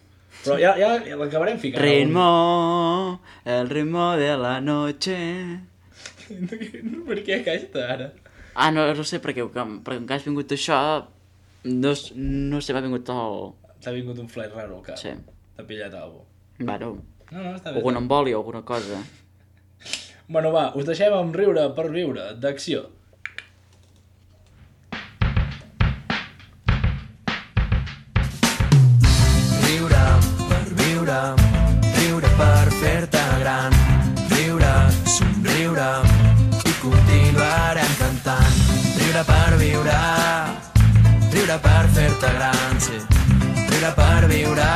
Però ja, ja, ja l'acabarem ficant. Ritmo, el ritmo de la noche... Per què aquesta, ara? Ah, no, no sé, perquè, perquè encara has vingut això... No, s- no sé, m'ha vingut el... T'ha vingut un flash raro al cap. Sí. T'ha pillat algú. Bueno, No, no, està bé. algun emboli o alguna cosa. Bueno, va, us deixem amb Riure per viure, d'Acció. Riure per viure, riure per fer-te gran, riure, somriure i continuarem cantant. Riure per viure, riure per fer-te gran, sí. Riure per viure,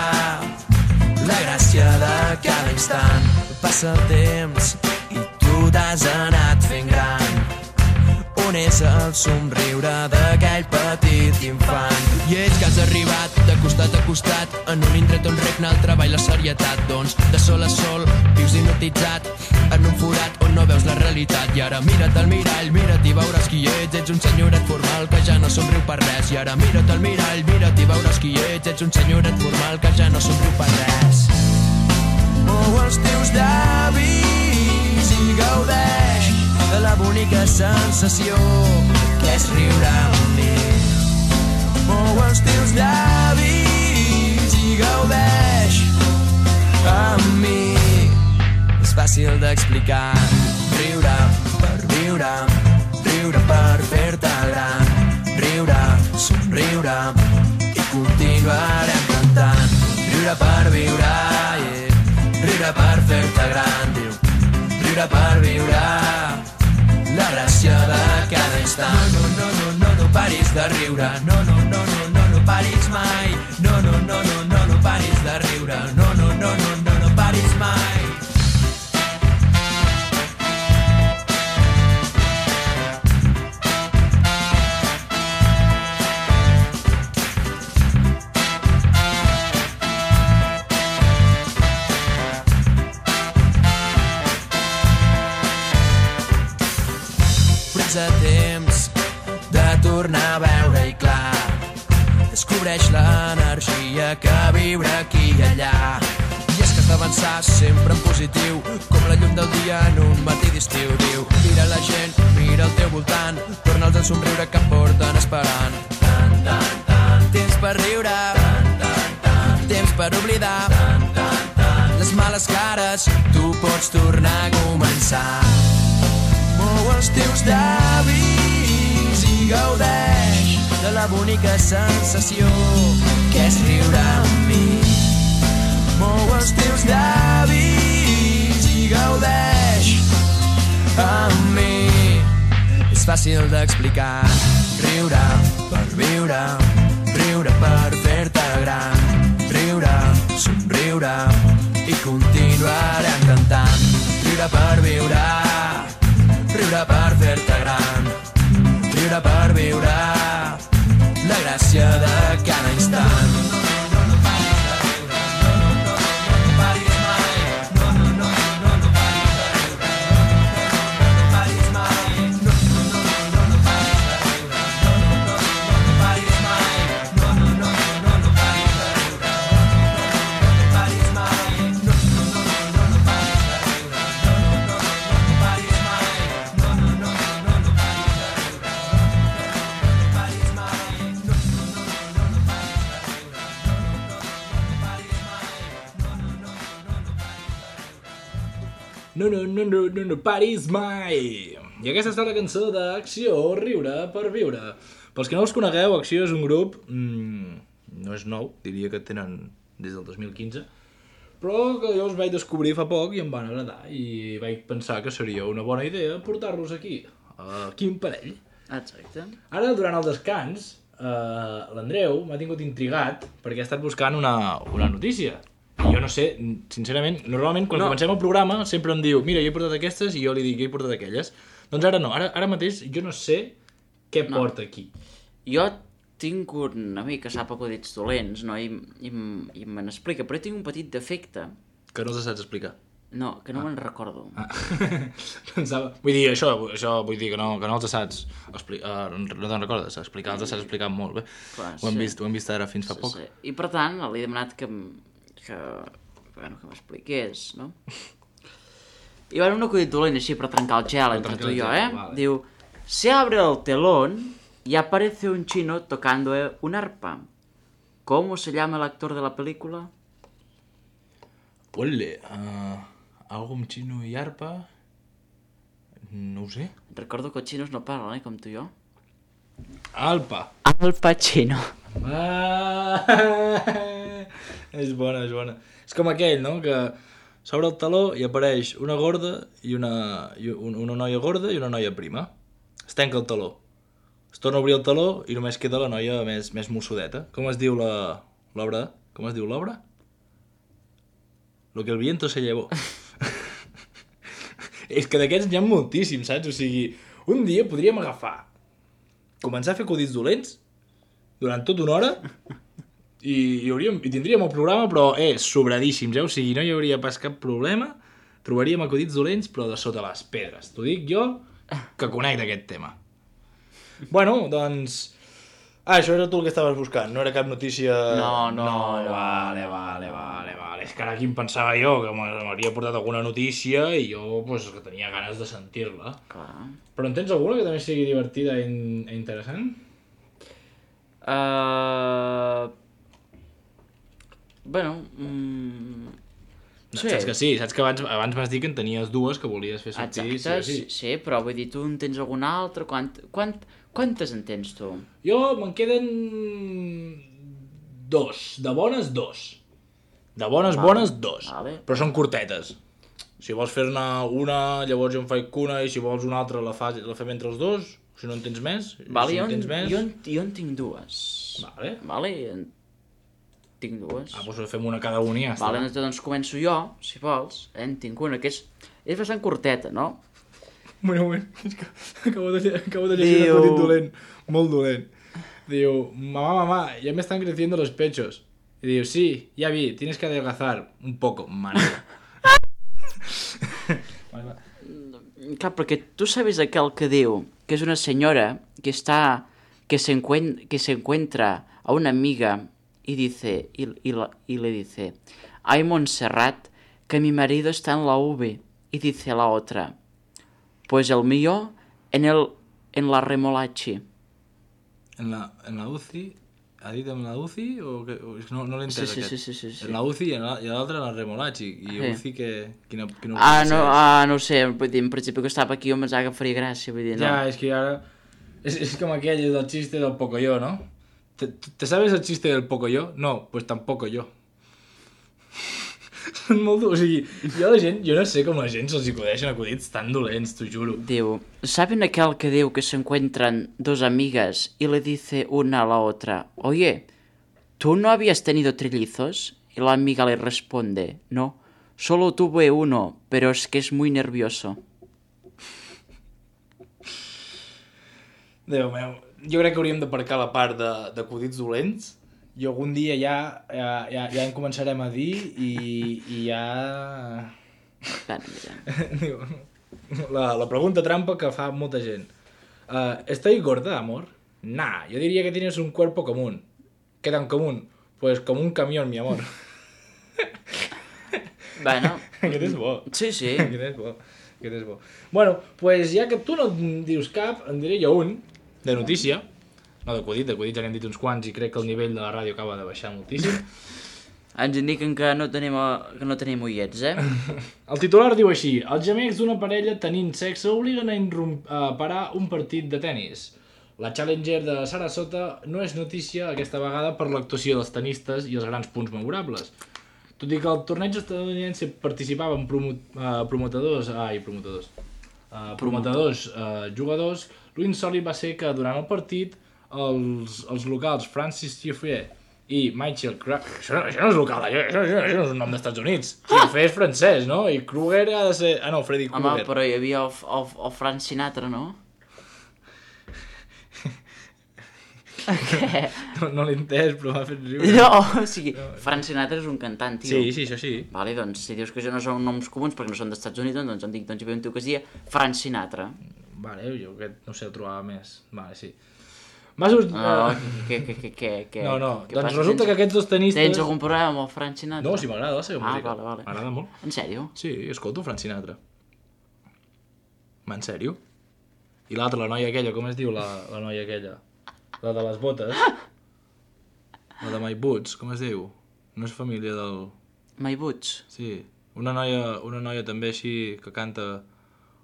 la gràcia de cada instant. Passa el temps i tu t'has anat fent gran. On és el somriure d'aquell petit infant? I ets que has arribat de costat a costat en un indret on regna el treball i la serietat. Doncs de sol a sol vius hipnotitzat en un forat on no veus la realitat. I ara mira't al mirall, mira't i veuràs qui ets. Ets un senyoret formal que ja no somriu per res. I ara mira't al mirall, mira't i veuràs qui ets. Ets un senyoret formal que ja no somriu per res. Mou els teus llavis i gaudeix de la bonica sensació que és riure amb mi. Mou els teus llavis i gaudeix amb mi. És fàcil d'explicar. Riure per viure, riure per fer-te gran, riure, somriure i continuarem cantant. Riure per viure, yeah. Riure per fer-te gran, diu. Riure per viure, la gràcia de cada instant. No, no, no, no, no paris de riure. No, no, no, no, no, no paris mai. No, no, no, no, no, no paris de riure. No, no, no, no, no, no paris mai. A temps de tornar a veure-hi clar. Descobreix l'energia que viure aquí i allà. I és que has d'avançar sempre en positiu, com la llum del dia en un matí d'estiu. Diu, mira la gent, mira al teu voltant, torna'ls a somriure que porten esperant. Tan, tan, tan. Temps per riure, tan, tan, tan. Temps per oblidar, tan, tan, tan. Les males cares, tu pots tornar a començar. Mou els teus llavis i gaudeix de la bonica sensació que és riure amb mi. Mou els teus llavis i gaudeix amb mi. És és fàcil d'explicar. Riure per viure, riure per fer-te gran, riure, somriure i continuarem cantant. Riure per viure, riure per fer-te gran, riure per viure la gràcia de cada instant. No, no, no, no, no, no paris mai! I aquesta ha estat la cançó d'Acció, Riure per Viure. Pels que no els conegueu, Acció és un grup... Mmm, no és nou, diria que tenen des del dos mil quinze, però que jo els vaig descobrir fa poc i em van agradar i vaig pensar que seria una bona idea portar-los aquí, a Quin Parell. Exacte. Ara, durant el descans, eh, l'Andreu m'ha tingut intrigat perquè ha estat buscant una, una notícia. I jo no sé, sincerament, normalment quan no. comencem el programa sempre em diu mira, jo he portat aquestes i jo li dic jo he portat aquelles. Doncs ara no, ara, ara mateix jo no sé què no. porta aquí. Jo tinc un amic que sap acudits dolents, no? I, i, i me n'explica, però tinc un petit defecte. Que no els saps explicar? No, que no ah. me'n recordo. Ah. Pensava... Vull dir, això, això vull dir que no, que no els saps explicar, uh, no te'n recordes, explicar, els saps explicar molt bé. Clar, ho, hem sí. vist, ho hem vist ara fins fa sí, poc. Sí. I per tant, li he demanat que, que, bueno, que m'expliqués, no? I va un acudit dolent així per trencar el gel entre tu i jo, eh? Vale. Diu, se abre el telón y aparece un chino tocando un arpa. ¿Cómo se llama el actor de la película? Ole, uh, algo amb xino i arpa... No ho sé. Recordo que els xinos no parlen, eh, com tu i jo. Alpa. Al Pacino. Ah, és bona, és bona. És com aquell, no?, que s'obre el taló i apareix una gorda i una, i una noia gorda i una noia prima. Es tanca el taló. Es torna a obrir el taló i només queda la noia més, més mossudeta. Com es diu la, l'obra? Com es diu l'obra? Lo que el viento se llevó. És que d'aquests n'hi ha moltíssims, saps? O sigui, un dia podríem agafar, començar a fer acudits dolents durant tota una hora i, i, hauríem, i tindríem el programa, però eh, sobradíssims, eh? O sigui, no hi hauria pas cap problema, trobaríem acudits dolents, però de sota les pedres. T'ho dic jo, que conec d'aquest tema. Bueno, doncs... Ah, això era tu el que estaves buscant, no era cap notícia... No, no, no, no. Vale, vale, vale, vale. És que ara aquí em pensava jo que m'hauria portat alguna notícia i jo, pues, que tenia ganes de sentir-la. Clar. Però en tens alguna que també sigui divertida i, i interessant? Uh... Bueno... Mm... No, sí. Saps que sí, saps que abans, abans m'has dit que en tenies dues que volies fer sortir. Exacte, sí, sí. sí, però vull dir, tu en tens alguna altra? Quant, quant, quantes en tens tu? Jo me'n queden dos, de bones dos. De bones, vale. bones dos, vale. Però són curtetes. Si vols fer-ne una, llavors jo en faig una, i si vols una altra la, fa, la fem entre els dos, si no en tens més, vale, si jo, en tens més... Jo en, jo en tinc dues. Vale. Vale, en tinc dues. Ah, doncs fem una cada una i ja està. Vale, doncs començo jo, si vols. Eh, en tinc una, que és, és bastant curteta, no? Un moment, un moment, és que acabo de, acabo de llegir Diu... un acudit dolent, molt dolent. Diu, mamá, mamá, ya me están creciendo los pechos. Y diu, sí, ya vi, tienes que adelgazar un poco, mano. Clar, perquè tu sabes aquel que diu que és una senyora que està, que se, encuen, que se encuentra a una amiga y dice, y, y, y le dice, ay Montserrat, que mi marido está en la U B. Y dice la otra, pues el mío en, el, en la remolachi. ¿En la, en la U C I? ¿Ha dit en la U C I? O que, o no no l'he entès sí, aquest. Sí, sí, sí, sí. En la U C I i, la, i l'altra en la remolachi. I sí. U C I que... Quina, quina ah, no, ah, no ho sé, vull dir, en principi que estava aquí jo em pensava que faria gràcia, vull dir, no. Ja, és que ara... És, és com aquell del xiste del Pocoyo, no? ¿Te, ¿Te sabes el chiste del Pocoyo? No, pues tampoco yo. Són molt... O sigui, jo la gent, jo no sé com la gent se'ls acudeixen acudits tan dolents, t'ho juro. Diu, ¿saben aquel que diu que se encuentran dos amigas y le dice una a la otra, oye, ¿tú no habías tenido trillizos? Y la amiga le responde, no, solo tuve uno, pero es que es muy nervioso. Déu meu, jo crec que hauríem d'aparcar la part de- d'acudits dolents i algun dia ja, ja, ja, ja en començarem a dir i, i ja... Bueno, mira. Diu, la, la pregunta trampa que fa molta gent. Uh, ¿Estoy gorda, amor? Nah, yo diría que tienes un cuerpo común. ¿Qué tan común? Pues como un camión, mi amor. Bueno, Aquest és bo. sí, sí. Aquest és bo. Aquest és bo. Bueno, pues ja que tu no en dius cap, en diré jo un, de notícia. No, d'acudit, d'acudit ja n'hem dit uns quants i crec que el nivell de la ràdio acaba de baixar moltíssim. Ens indiquen que no tenim, que no tenim ullets, eh? El titular diu així: els gemecs d'una parella tenint sexe obliguen a, irrum- a parar un partit de tennis. La Challenger de Sarasota no és notícia aquesta vegada per l'actuació dels tenistes i els grans punts memorables. Tot i que el torneig estadounidense participaven promo uh, promotadors, ai, promotadors, uh, promotadors uh, jugadors, l'insòlit va ser que durant el partit els, els locals Francis Tiafoe i Michael Kruger... Això, no- això no és local, això, això, això, això no és un nom dels Estats Units. Tiafoe és francès, no? I Kruger ha de ser... Ah, no, Freddy Home, Krueger. però hi havia el, el, el Frank Sinatra, no? Què? No, no l'he entès, però m'ha fet riure. No, o sigui, Frank Sinatra és un cantant, tio. Sí, sí, això sí. Vale, doncs, si dius que això no són noms comuns perquè no són dels Estats Units, doncs em dic, doncs hi havia un tio que es deia Frank Sinatra. Vale, jo aquest no sé, el trobava més. Vale, sí. Masos... No, eh, què, què, què, què, què? no, no. què Doncs passa? resulta que Tens- aquests dos tenistes... Tens algun problema amb el Frank Sinatra? No, si m'agrada la seva Ah, música. vale, vale. M'agrada molt. En sèrio? Sí, escolto Frank Sinatra. Ma, en sèrio? I l'altra, la noia aquella, com es diu la, la noia aquella? La de les botes. La de My Boots, com es diu? No és família del... My Boots? Sí. Una noia, una noia també així que canta...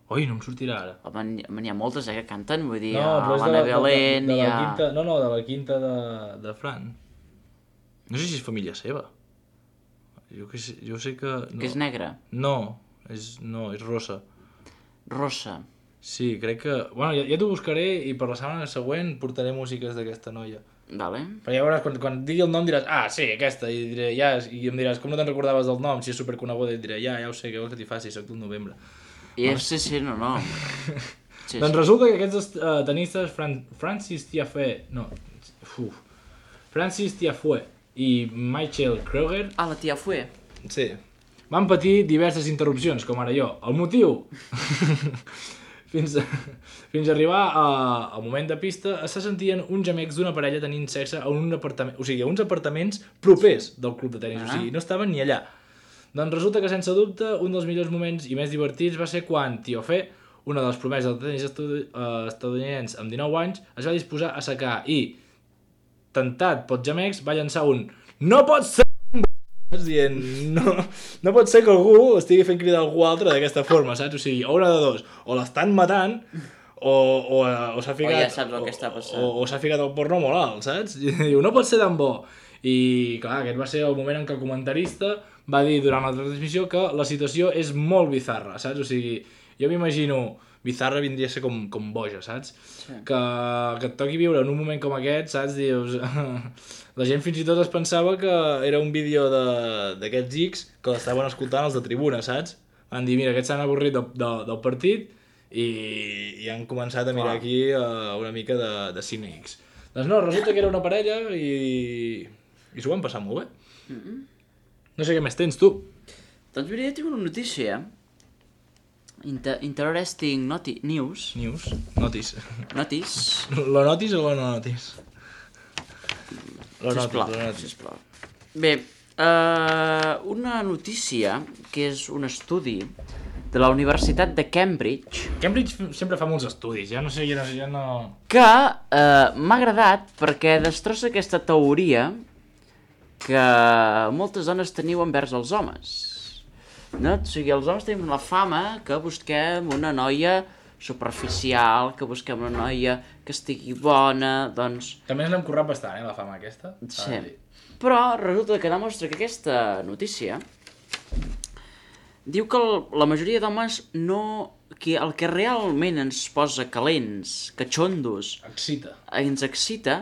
Oi, no em sortirà ara. Home, n'hi n'hi ha moltes, eh, que canten, vull dir, No, però és de l'Anna la, de, de, Belén, de hi la ha... quinta... No, no, de la quinta de, de Fran. No sé si és família seva. Jo, que sé, jo sé que... No. Que és negra. No, és, no, és rossa. Rossa. Sí, crec que... Bueno, ja, ja t'ho buscaré i per la setmana següent portaré músiques d'aquesta noia. Vale. Però ja veuràs, quan, quan digui el nom diràs, ah, sí, aquesta, i diré, ja, i em diràs, com no te'n recordaves del nom, si és superconeguda, i et diré, ja, ja ho sé, què vols que t'hi faci, soc del novembre. I és, sí, sí, no, no. Sí, Doncs sí. resulta que aquests dos uh, tenistes, Fran Francis Tiafoe, no, uf, Francis Tiafoe i Michael Kruger, Ah, la tia Fue. sí, van patir diverses interrupcions, com ara jo. El motiu? fins, a, fins a arribar a, al moment de pista, se sentien uns gemecs d'una parella tenint sexe en un apartament, o sigui, a uns apartaments propers del club de tenis, Ah. o sigui, no estaven ni allà. Doncs resulta que, sense dubte, un dels millors moments i més divertits va ser quan Tiafoe, una de les promeses del tenis estadu- eh, estadounidense amb dinou anys, es va disposar a secar i, tentat pels gemecs, va llançar un "No pot ser!" Saps? Dient, no, no pot ser que algú estigui fent cridar algú altre d'aquesta forma, saps? O sigui, o una de dos, o l'estan matant, o, o, o s'ha ficat... O ja saps el que està passant. O, o s'ha ficat el porno molt alt, saps? I diu, no pot ser tan bo. I, clar, aquest va ser el moment en què el comentarista va dir durant la transmissió que la situació és molt bizarra, saps? O sigui, jo m'imagino... Bizarra vindria a ser com, com boja, saps? Sí. Que, que et toqui viure en un moment com aquest, saps? Dius... La gent fins i tot es pensava que era un vídeo d'aquests X que l'estaven escoltant els de tribuna, saps? Van dir, mira, aquests s'han avorrit del, del, del partit i, i han començat a mirar Clar. aquí uh, una mica de, de cine X. Doncs no, resulta que era una parella i, i s'ho van passar molt bé. Mm -mm. No sé què més tens, tu. Doncs mira, jo tinc una notícia. Inter interesting noti news. News. Notis. Notice. Lo notis o lo no notis? Lo notis, Sisplau, lo notis. sisplau. Bé, uh, una notícia que és un estudi de la Universitat de Cambridge Cambridge sempre fa molts estudis, ja no sé, ja no... Ja no... que uh, m'ha agradat perquè destrossa aquesta teoria que moltes dones teniu envers els homes. No? O sigui, els homes tenim la fama que busquem una noia superficial, que busquem una noia que estigui bona, doncs... També ens l'hem currat bastant, eh, la fama aquesta. Sí. Però resulta que demostra que aquesta notícia diu que el, la majoria d'homes no... que el que realment ens posa calents, catxondos, Excita. ens excita,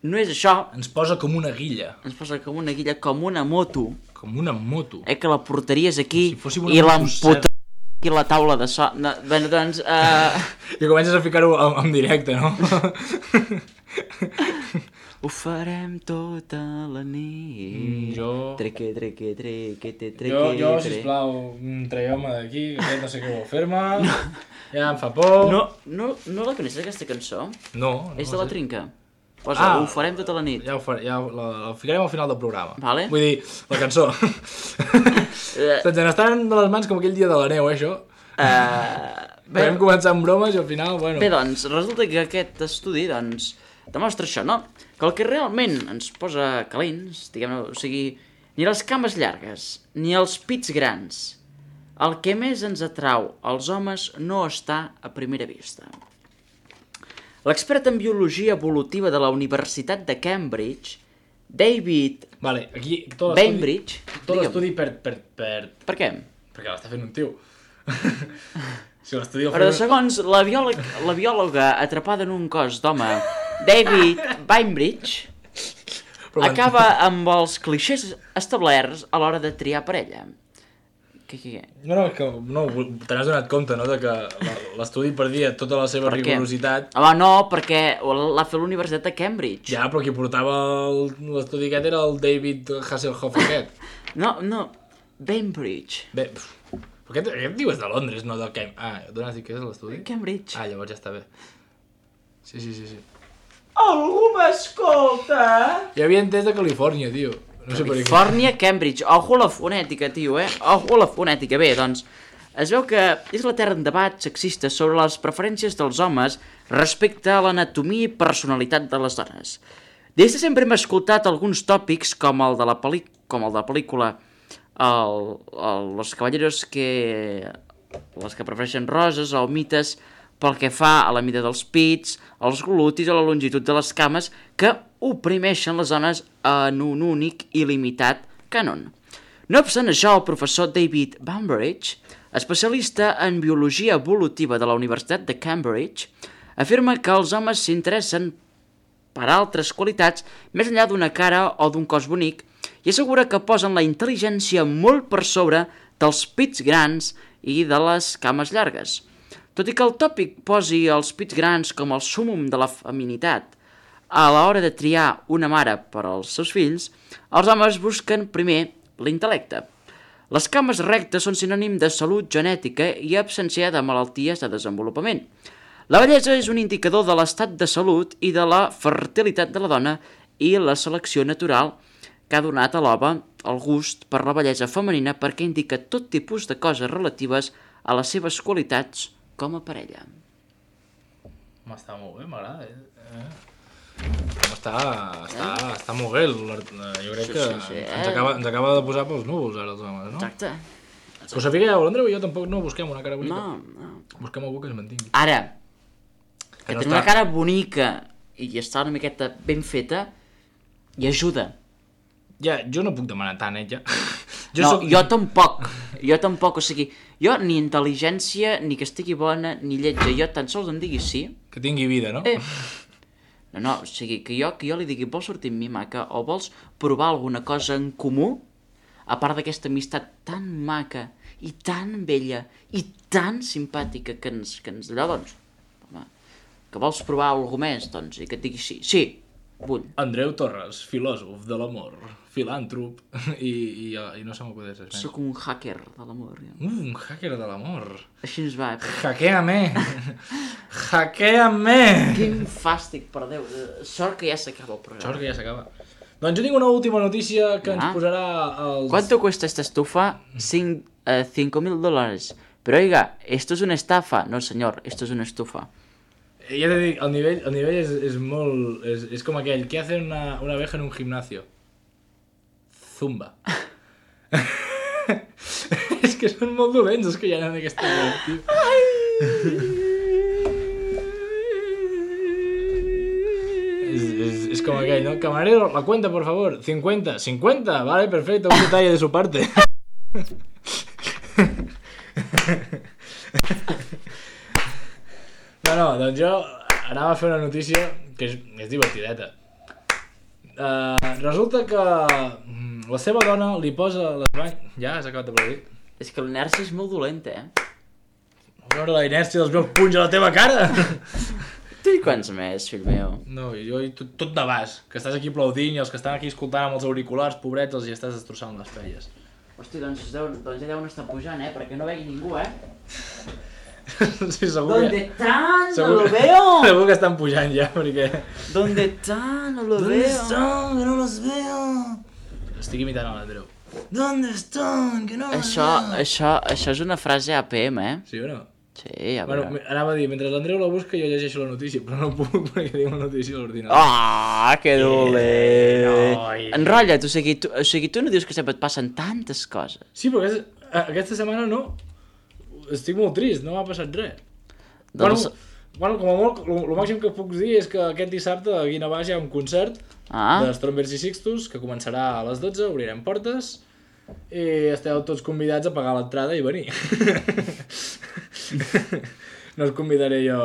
no és això. Ens posa com una guilla. Ens posa com una guilla, com una moto, Com una moto. eh, que la portaries aquí Si fóssim una i moto l'emputa aquí a la taula de so... No, bé, doncs... Uh... I comences a ficar-ho en, en directe, no? Ho farem tota la nit. Mm, jo... Treque, treque, treque, tre, treque, Jo, jo, tre. sisplau, mm, traieu-me d'aquí, que aquest no sé què vol fer-me. No. Ja em fa por. No, no, no la coneixes, aquesta cançó? No, no És de la sé. Trinca. Posa, Ah. ho farem tota la nit. Ja ho faré, ja la, la ficarem al final del programa. Vale. Vull dir, la cançó. Se'ns n'estan de les mans com aquell dia de la neu, eh, això. Uh, bé, Vam començar amb bromes i al final, bueno... bé, doncs, resulta que aquest estudi, doncs, demostra això, no? Que el que realment ens posa calents, diguem-ne, o sigui, ni les cames llargues, ni els pits grans, el que més ens atrau als homes no està a primera vista. L'expert en biologia evolutiva de la Universitat de Cambridge, David Vale, aquí tot l'estudi... Bainbridge, Tot digue'm, l'estudi per, per, per... per què? Perquè l'està fent un tio. Si l'estudi el Però fa... segons la, biòleg, la biòloga atrapada en un cos d'home, David Bainbridge, Però quan- acaba amb els clixés establerts a l'hora de triar parella. Què, què, què? No, no, és que no, te n'has donat compte, no?, de que la- l'estudi perdia tota la seva Per què? rigorositat. Home, no, perquè l'ha fet l'Universitat de Cambridge. Ja, però qui portava el- l'estudi aquest era el David Hasselhoff aquest. No, no, Bainbridge. Bé, pf, però aquest, aquest tio és de Londres, no del Cam... Ah, d'on has dit que és l'estudi? Cambridge. Ah, llavors ja està bé. Sí, sí, sí, sí. Algú m'escolta? Ja havia entès de Califòrnia, tio. No sé per què. Califòrnia, Cambridge. Ojo a la fonètica, tio, eh? Ojo a la fonètica. Bé, doncs, es veu que és la terra en debat sexista sobre les preferències dels homes respecte a l'anatomia i personalitat de les dones. Des de sempre hem escoltat alguns tòpics com el de la, pel·li... com el de la pel·lícula el, el, Los Caballeros que... les que prefereixen roses o mites pel que fa a la mida dels pits, els glutis o la longitud de les cames que oprimeixen les dones en un únic i limitat cànon. No obstant això, el professor David Bainbridge, especialista en biologia evolutiva de la Universitat de Cambridge, afirma que els homes s'interessen per altres qualitats més enllà d'una cara o d'un cos bonic i assegura que posen la intel·ligència molt per sobre dels pits grans i de les cames llargues. Tot i que el tòpic posi els pits grans com el súmum de la feminitat a l'hora de triar una mare per als seus fills, els homes busquen primer l'intel·lecte. Les cames rectes són sinònim de salut genètica i absència de malalties de desenvolupament. La bellesa és un indicador de l'estat de salut i de la fertilitat de la dona i la selecció natural que ha donat a l'home el gust per la bellesa femenina perquè indica tot tipus de coses relatives a les seves qualitats com a parella. M'està molt bé, m'agrada. Eh? Està, està, està molt bé. Jo crec Sí, que sí, sí, eh? ens, acaba, ens acaba de posar pels núvols ara els homes, no? Exacte. Però sapigueu, l'Andreu i jo tampoc no busquem una cara bonica. No, no. Busquem algú que es mantingui. Ara, que Que no tenir està- una cara bonica i està una miqueta ben feta i ajuda. Ja, jo no puc demanar tant, eh, ja. Jo no, soc... jo tampoc, jo tampoc, o sigui, jo ni intel·ligència, ni que estigui bona, ni lletja, jo tan sols em digui sí. Que tingui vida, no? Eh. No, no, o sigui, que jo, que jo li digui, vols sortir amb mi, maca, o vols provar alguna cosa en comú, a part d'aquesta amistat tan maca, i tan bella, i tan simpàtica que ens, que ens allò, doncs, home, que vols provar alguna més, doncs, i que et digui sí, sí, vull. Andreu Torres, filòsof de l'amor, filàntrop, i, i, i no se m'acudeix res més. Sóc un hacker de l'amor, ja. Uh, un hacker de l'amor. Així ens va, eh? Hackeame! Hackeame! Quin fàstic, per Déu. Eh, Sort que ja s'acaba el programa. Sort que ja s'acaba. Doncs jo tinc una última notícia que ens Ah. posarà els... ¿Cuánto cuesta esta estufa? Cin- eh, cinco mil dólares. Pero oiga, esto es una estafa. No, señor, esto es una estufa. Eh, Ja t'he dit, el nivell, el nivell és, és molt... És, és com aquell, què hace una, una abeja en un gimnasio? Zumba. És que són molt dolents els que hi ha en aquesta web, tio. Es, es, es como aquel, ¿no? Camarero, la cuenta, por favor. cincuenta. cincuenta, vale, perfecto. Un detalle de su parte. No, no, doncs jo anava a fer una notícia que és, és divertideta. Uh, resulta que mm, la seva dona li posa les banyes... Ja, has acabat de aplaudir. És que l'inèrcia és molt dolenta, eh? A veure la inèrcia dels meus punys a la teva cara! Tu i quants més, fill meu? No, jo i tot, tot de bas, que estàs aquí aplaudint i els que estan aquí escoltant amb els auriculars, pobrets, els hi estàs destrossant les pelles. Hosti, doncs, deu, doncs ja deuen estar pujant, eh? Perquè no vegi ningú, eh? Sí, segur ¿Dónde que... están? No Segur lo que- veo. Segur que estan pujant ja, perquè... ¿Dónde están? No lo veo. están? Que no los veo. Estic imitant a l'Andreu. ¿Dónde están? Que no los Això, això, això és una frase A P M, eh? Sí o no? Sí, a Bueno, veure. me- anava a dir, mentre l'Andreu la busca jo llegeixo la notícia, però no puc perquè tinc la notícia a l'ordinador. Ah, que dolent. noi. Enrotlla't, o sigui, tu, o sigui, tu no dius que sempre et passen tantes coses. Sí, però aquesta, aquesta setmana no. Estic molt trist, no m'ha passat res. Doncs... Bueno, bueno, com a molt, el màxim que puc dir és que aquest dissabte a Guinabàs hi ha un concert Ah, de Strombers i Sixtus que començarà a les dotze, obrirem portes i esteu tots convidats a pagar l'entrada i venir. No us convidaré jo.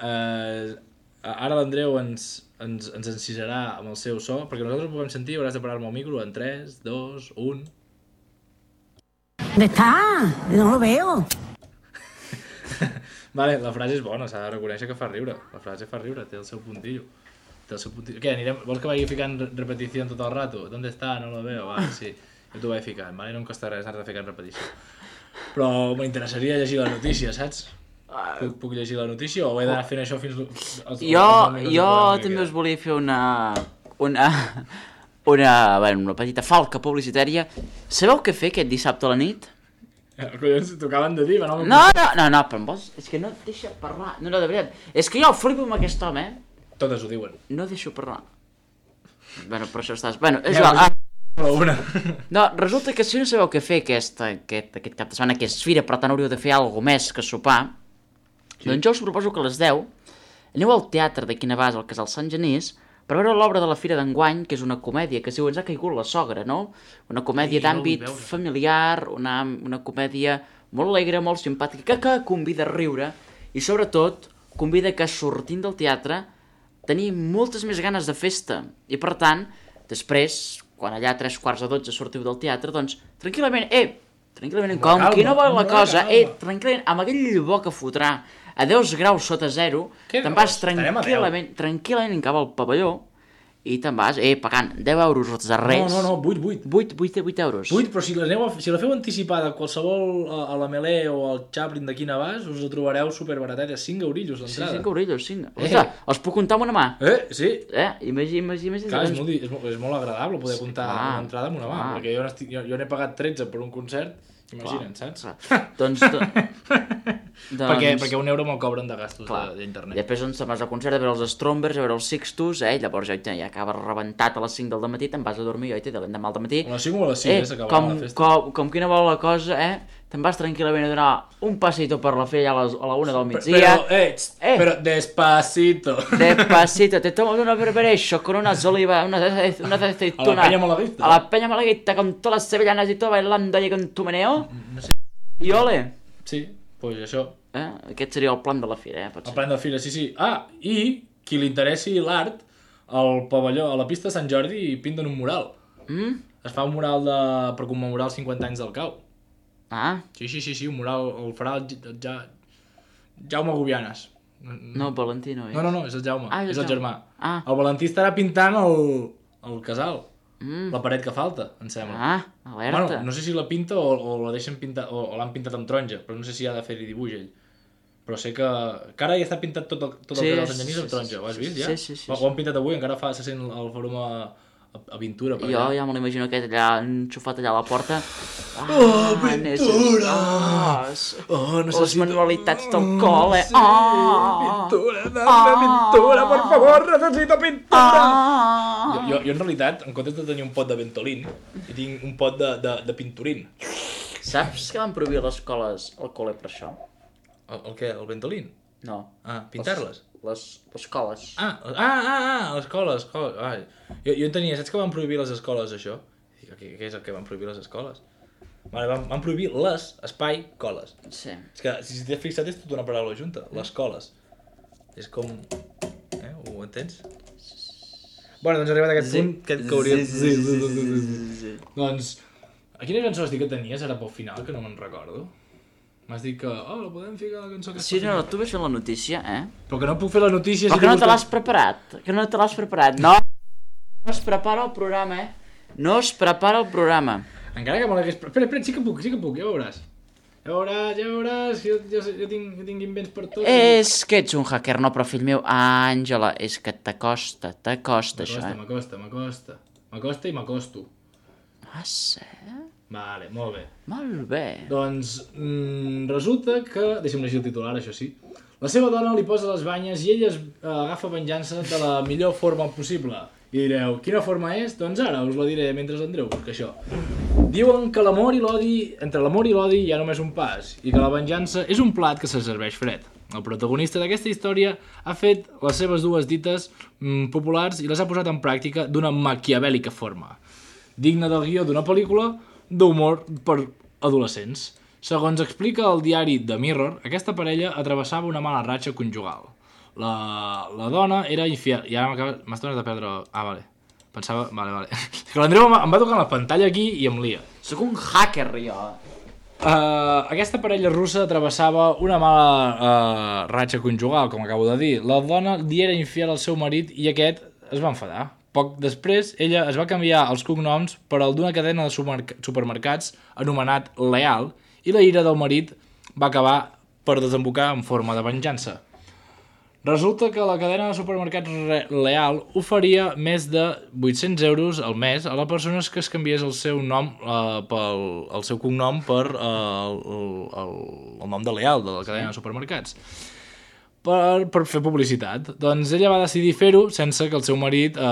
Uh, ara l'Andreu ens, ens, ens encisarà amb el seu so, perquè nosaltres ho podem sentir, hauràs de parar-me el micro en tres, dos, un... ¿Dónde está? No lo veo. Vale, la frase és bona, s'ha de reconèixer que fa riure. La frase fa riure, té el seu puntillo. Té el seu puntillo. Què, anirem... Vols que vagi ficant re- repetició tot el rato? ¿Dónde està? No lo veo. Vale, sí. Jo t'ho vaig ficant, vale? No em costa res anar-te ficant repetició. Però m'interessaria llegir la notícia, saps? Puc, puc llegir la notícia o he d'anar fent això fins... Als, jo, als minuts de jo programa que també queden? us volia fer una... Una... Una, bueno, una petita falca publicitària. Sabeu què fer aquest dissabte a la nit? Eh, Collons, t'ho acaben de dir, va, no? No, no, no, no, però em vols... És que no et deixa parlar. No, no, de veritat. És que jo flipo amb aquest home, eh? Totes ho diuen. No deixo parlar. Bueno, per això estàs... Bueno, és Ja, igual. Ah, Però una. no, resulta que si no sabeu què fer aquest, aquest, aquest cap de setmana, que és fira, per tant hauríeu de fer alguna més que sopar, sí. Doncs jo us proposo que a les deu aneu al teatre de Guinabàs, al Casal Sant Genís, per veure l'obra de la Fira d'enguany, que és una comèdia que es diu Ens ha caigut la sogra, no? Una comèdia Ai, no la d'àmbit vull veure. familiar, una, una comèdia molt alegre, molt simpàtica, que, que convida a riure i sobretot convida que sortint del teatre tenim moltes més ganes de festa i per tant, després, quan allà a tres quarts de dotze sortiu del teatre, doncs tranquil·lament, eh, tranquil·lament, com calma, qui no vol la amb cosa, calma. eh, tranquil·lament, amb aquell bo que fotrà a deu graus sota zero, Què te'n dius? vas Estarem a deu. tranquil·lament, tranquil·lament cap al pavelló i te'n vas, eh, pagant deu euros els darrers. No, no, no, vuit, vuit. vuit, vuit, vuit euros. Vuit, però si, l'aneu a, si la feu anticipada a qualsevol a, a la Melé o al Chaplin d'aquí a Navàs, us la trobareu superbaratet, cinc eurillos Sí, l'entrada. cinc eurillos, cinc. Eh. Ostres, els puc comptar amb una mà. Eh, sí. Eh, imagina, imagina, imagina. Clar, és molt, di- és, molt, és molt agradable poder comptar clar, una entrada amb una mà, clar. perquè jo n'estic- jo, jo n'he pagat tretze per un concert, imagina't, saps? Clar. Doncs, do, doncs... Perquè, perquè un euro me'l cobren de gastos Clar. de- d'internet. I després doncs, te'n vas al concert a veure els Strombers, a veure els Sixtus, eh? Llavors ja, ja acabes rebentat a les cinc del matí, te'n vas a dormir, oi, de l'endemà al matí. A les cinc o a les sis, eh, eh, s'acabarà com, la festa. com, com quina vol la cosa, eh? Te'n vas tranquil·lament a donar un passito per la fe a, les, a la una del migdia. Però, eh, tst, Eh. però despacito. Despacito, te tomas una berberecho con unas olivas, una, una aceituna. A la peña malaguista. A la peña malaguista, con todas las sevillanas y todo, bailando ahí con tu meneo. No sé. I ole. Sí, doncs això. Eh? Aquest seria el plan de la fira, eh? El Potser. plan de fira, sí, sí. Ah, i qui li interessi l'art, al pavelló, a la pista de Sant Jordi pinten un mural. Mm? Es fa un mural de, per commemorar els cinquanta anys del cau. Ah, Sí, sí, sí, sí, un mural, el farà el, el, ja, Jaume Gubianes. no, Valentino, eh? No, no, no, és el Jaume, Ah, és és el el Jaume. germà. Ah. El Valentí estarà pintant el, el casal, Mm. la paret que falta, em sembla. Ah, alerta. Bueno, no sé si la pinta o, o la deixen pintar, o, o l'han pintat amb taronja, però no sé si ha de fer-hi dibuix ell. Però sé que... que ara ja està pintat tot el, tot el Sí, casal Sant sí, Genís sí, amb taronja, sí, ho has sí, vist sí, ja? sí, sí, sí, Ho, sí. ho han pintat avui, encara fa, se sent el forum a, a, a Pintura. Per Jo allà. ja me l'imagino aquest allà enxufat allà a la porta. Ah, Oh, necess- pintura! Ah, s- Oh, les manualitats del col·le. Ah, Pintura, dame pintura, por favor, necesito pintura! ah. Jo, jo, jo en realitat, en comptes de tenir un pot de Ventolin, hi tinc un pot de, de, de Pinturin. Saps que van prohibir a les escoles el col·le per això? El, el què? El Ventolin? No. Ah, pintar-les? Les, les escoles. Ah, ah, ah, ah, l'escola, l'escola. Ai. Jo, jo en tenia, saps que van prohibir les escoles això? Dic, què, què és el que van prohibir les escoles? Vale, van, van prohibir les, espai, coles. Sí. És que, si t'has fixat, és tota una paraula junta, les coles. És com... Eh, ho entens? Bueno, doncs arribat a aquest Sí. punt, que, que hauria... Sí, sí, sí, sí, sí, sí, sí, sí. Doncs, a quina cançó has dit que tenies ara pel final, que no me'n recordo? M'has dit que, oh, la podem ficar la cançó que Sí, no, tu ves fent la notícia, eh? Però que no puc fer la notícia... Però si que no tinc te buscat- l'has preparat, que no te l'has preparat. No, no es prepara el programa, eh? No es prepara el programa. Encara que me l'hagués... Espera, espera, sí que puc, sí que puc, ja veuràs. Ja veuràs, ja veuràs, jo, jo, jo, tinc, jo tinc invents per tot. És que ets un hacker, no, però fill meu, Àngela, és que t'acosta, t'acosta això, M'acosta, eh? m'acosta, m'acosta. M'acosta i m'acosto. Ah, sí? Vale, molt bé. Molt bé. Doncs mm, resulta que... Deixa'm llegir el titular, això sí. La seva dona li posa les banyes i ella es eh, agafa venjança de la millor forma possible. I direu, quina forma és? Doncs ara us la diré mentre l'Andreu busca això. Diuen que l'amor i l'odi, entre l'amor i l'odi hi ha només un pas, i que la venjança és un plat que se serveix fred. El protagonista d'aquesta història ha fet les seves dues dites mm, populars i les ha posat en pràctica d'una maquiavèlica forma. Digna del guió d'una pel·lícula d'humor per adolescents. Segons explica el diari The Mirror, aquesta parella atrevessava una mala ratxa conjugal. La, la dona era infiel... I ara m'has tornat a perdre... Ah, vale. Pensava... Vale, vale. Que l'Andreu em, em va tocar la pantalla aquí i em lia. Sóc un hacker, jo. Uh, aquesta parella russa travessava una mala uh, ratxa conjugal, com acabo de dir. La dona li era infiel al seu marit i aquest es va enfadar. Poc després, ella es va canviar els cognoms per al d'una cadena de supermerc supermercats anomenat Leal i la ira del marit va acabar per desembocar en forma de venjança. Resulta que la cadena de supermercats Leal oferia més de vuit-cents euros al mes a les persones que es canviés el seu nom eh, pel el seu cognom per eh, el, el, el nom de Leal, de la cadena de supermercats. Per, per fer publicitat. Doncs ella va decidir fer-ho sense que el seu marit eh,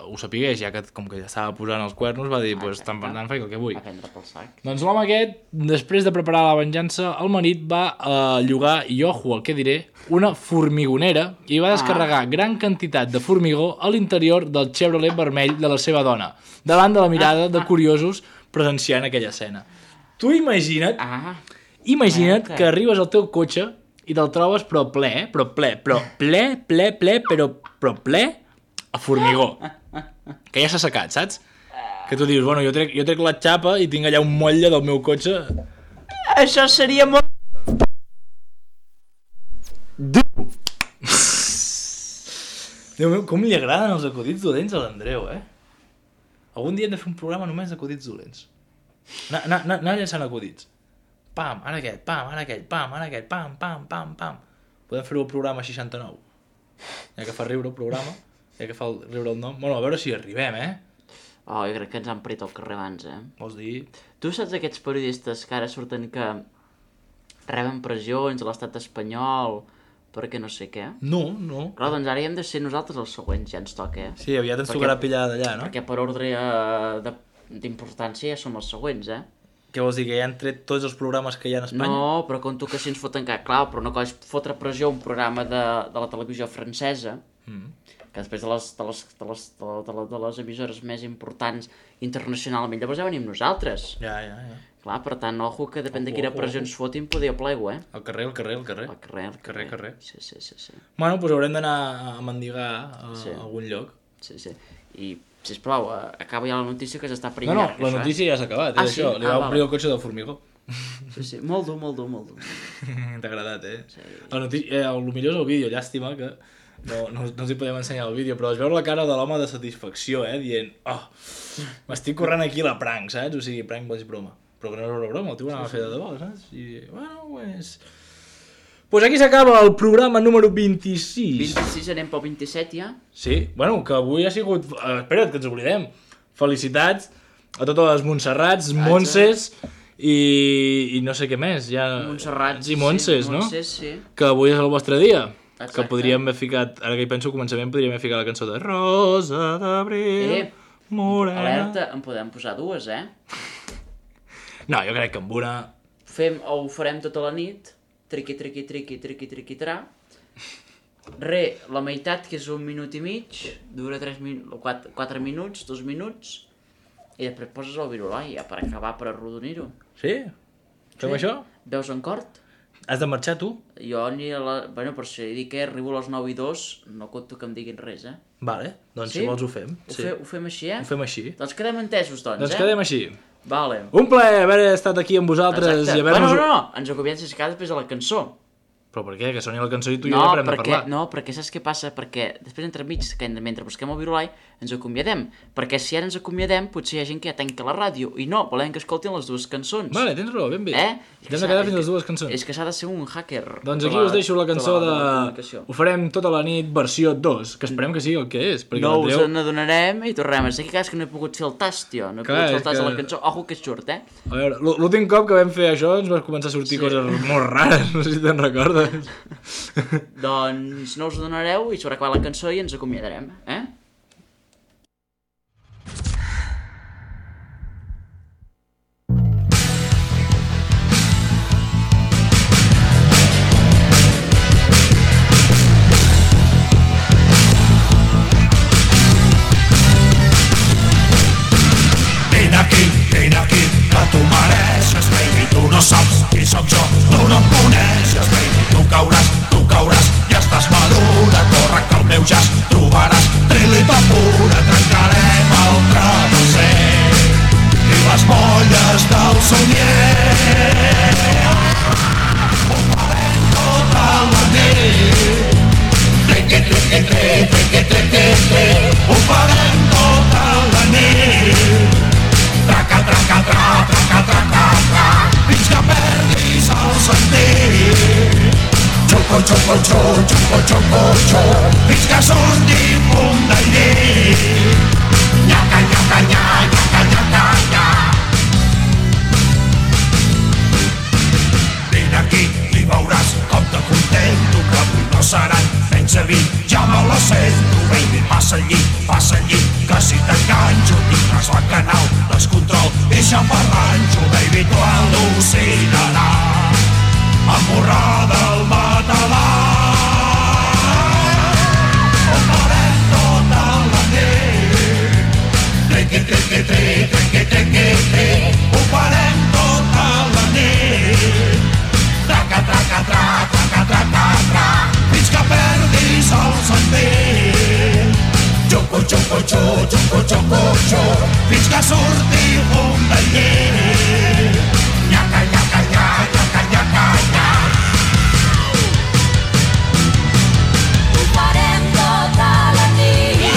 ho sapigués, ja que com que ja estava posant els cuernos va dir, pues, tant per tant faig el que vull. A prendre pel sac. Doncs l'home aquest, després de preparar la venjança, el marit va eh, llogar, i ojo el que diré, una formigonera i va descarregar ah. gran quantitat de formigó a l'interior del Chevrolet vermell de la seva dona, davant de la mirada de curiosos presenciant aquella escena. Tu imagina't, Ah, imagina't Merda. que arribes al teu cotxe i te'l trobes però ple, eh? però ple, però ple, ple, ple, però, però ple a formigó. Que ja s'ha secat, saps? Que tu dius, bueno, jo trec, jo trec la xapa i tinc allà un motlle del meu cotxe. això seria molt... Dur! Déu meu, com li agraden els acudits dolents a l'Andreu, eh? Algun dia hem de fer un programa només d'acudits dolents. Anar, anar, anar, anar llançant acudits. Pam, ara aquest, pam, ara aquest, pam, ara aquest, pam, pam, pam, pam. Podem fer-ho al programa seixanta-nou. Ja que fa riure el programa, ja que fa el, riure el nom. Bueno, a veure si arribem, eh? Oh, jo crec que ens han parit al carrer abans, eh? Vols dir? Tu saps aquests periodistes que ara surten que reben pressions a l'estat espanyol perquè no sé què? No, no. Clar, doncs ara hi hem de ser nosaltres els següents, ja ens toca, eh? Sí, aviat ens Perquè- tocarà pillar d'allà, no? Perquè per ordre eh, de- d'importància ja som els següents, eh? Què vols dir, que ja han tret tots els programes que hi ha a Espanya? No, però conto que si ens foten cap, clar, però no cols fotre pressió a un programa de, de la televisió francesa, Mm. que després de les, de, les, de, les, de, la- de, la- de les emissores més importants internacionalment, llavors ja venim nosaltres. Ja, ja, ja. Clar, per tant, ojo, que depèn de Ojo, quina ojo, pressió ojo. ens fotin, poder plego, eh? Al carrer, al carrer, al carrer. Al carrer, al Carrer, carrer. Sí, sí, sí, sí. Bueno, doncs haurem d'anar a mendigar a, Sí. a algun lloc. sí, sí. I, sisplau, eh, acaba ja la notícia que s'està prenent No, no, llarg, la això, notícia ja s'ha acabat, Ah, és sí? això. Li Ah, va val. obrir el cotxe del formigó. eh? Sí, sí, molt dur, molt dur, molt dur. T'ha agradat, eh? Sí. La notícia, eh, el millor és el vídeo, llàstima que no, no, no us hi podem ensenyar el vídeo, però es veu la cara de l'home de satisfacció, eh? Dient, oh, m'estic corrent aquí la prank, saps? O sigui, prank és broma. Però que no és una broma, el tio ho anava a fer de debò, saps? I, bueno, pues... Pues aquí s'acaba el programa número vint-i-sis. vint-i-sis, anem pel vint-i-set ja? Sí, bueno, que avui ha sigut... Eh, espera't, que ens oblidem. Felicitats a totes les Montserrats, Montses i, i no sé què més. Ja... Montserrat. I Montses, sí, no? Montses, sí. Que avui és el vostre dia. Exacte. Que podríem haver ficat, ara que hi penso, començament podríem haver ficat la cançó de Rosa d'abril, Eh, morena... Alerta, en podem posar dues, eh? No, jo crec que amb una... Fem, o ho farem tota la nit, triqui, triqui, triqui, triqui, triqui, tra. Re, la meitat, que és un minut i mig, dura tres min... quatre, quatre minuts, dos minuts. I després poses el virulai, ja per acabar, per arrodonir-ho. Sí? Fem Sí. això? Veus en cort? Has de marxar tu? Jo ni a la... Bueno, per si dic que arribo a les nou i dos, no conto que em diguin res, eh? Vale, doncs Sí? si vols ho fem. Ho, Sí. fe, ho fem així, eh? Ho fem així. Doncs quedem entesos, doncs, Doncs eh? quedem així. Vale. Un plaer haver estat aquí amb vosaltres Exacte. i haver-nos... Bueno, no, no, ens acomiadem si escau després de la cançó. Però per què? Que soni la cançó i tu i No, jo ja parem de perquè, parlar. no, perquè saps què passa? Perquè després entremig, que mentre busquem el virulai, ens acomiadem. Perquè si ara ens acomiadem, potser hi ha gent que ja tanca la ràdio. I no, volem que escoltin les dues cançons. Vale, tens raó, ben bé. Eh? Ens hem de quedar fins les dues cançons. És que s'ha de ser un hacker. Doncs de aquí us deixo la cançó de... la comunicació. Ho farem tota la nit versió dos, que esperem que sigui el que és. Perquè No us l'Andreu... n'adonarem i tornem. És que cas que no he pogut fer el tast, tio. No he Clar, pogut fer el tast és de que- la cançó. Ojo que surt, eh? A veure, l'ú- l'últim cop que vam fer això ens van començar a sortir Sí. coses molt rares, no sé si te'n recordes. Doncs no us adonareu i s'haurà acabat la cançó i ens acomiadarem, eh? Vine aquí, vine aquí, que tu mereixes, baby. Tu no saps qui sóc jo, tu no em coneixes, baby. Tu cauràs, tu cauràs, ja estàs madura. Corre que el meu jazz trobaràs trilita pura. Trencarem el travesser i les molles del somnier. Ho farem tota la nit. Triqui, triqui, triqui, triqui, triqui, triqui. Ho farem tota la nit. Traca, traca, tra, traca, traca, tra, fins que perdis el sentit. Xuco, xuco, xu, xuco, xuco, xu, fins que surti fum del llit. Nyaca, nyaca, nya, nyaca, nyaca, nya. Vine aquí i veuràs com te contento, que avui no seran menys de vint, ja me la sento, baby. Passa al llit, passa al llit, que si t'enganxo tindràs la canal, descontrol i xafarranxo, baby. Tu al·lucinaràs, amorrada al matalàs. Ho farem tota la nit. Triqui, triqui, triqui, triqui, triqui, triqui. Ho farem tota la nit. Traca, traca, tra, traca, traca, tra, fins que perdis el sentit. Xuco, xuco, xu, xuco, xuco, xu, fins que surti fum del llit. Nyaca, nyaca, nya, nyaca, nyaca, nya. Ho farem tota la nit.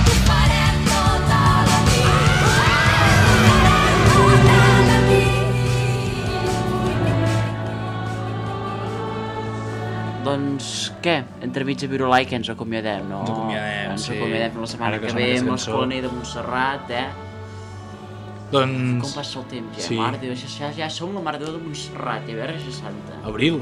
Ho farem tota la nit. Tota la nit. Doncs què? Entremig a Virulai que ens acomiadem, no? Ens acomiadem, ens sí. acomiadem fins la setmana Ara que que sona ve aquesta amb cançó. l'Escolanell de Montserrat, eh? Com Doncs... passa el temps, ja? Sí. Mare de Déu, ja, ja, ja som la Mare de Déu de Montserrat, ja, Verge Santa. Abril,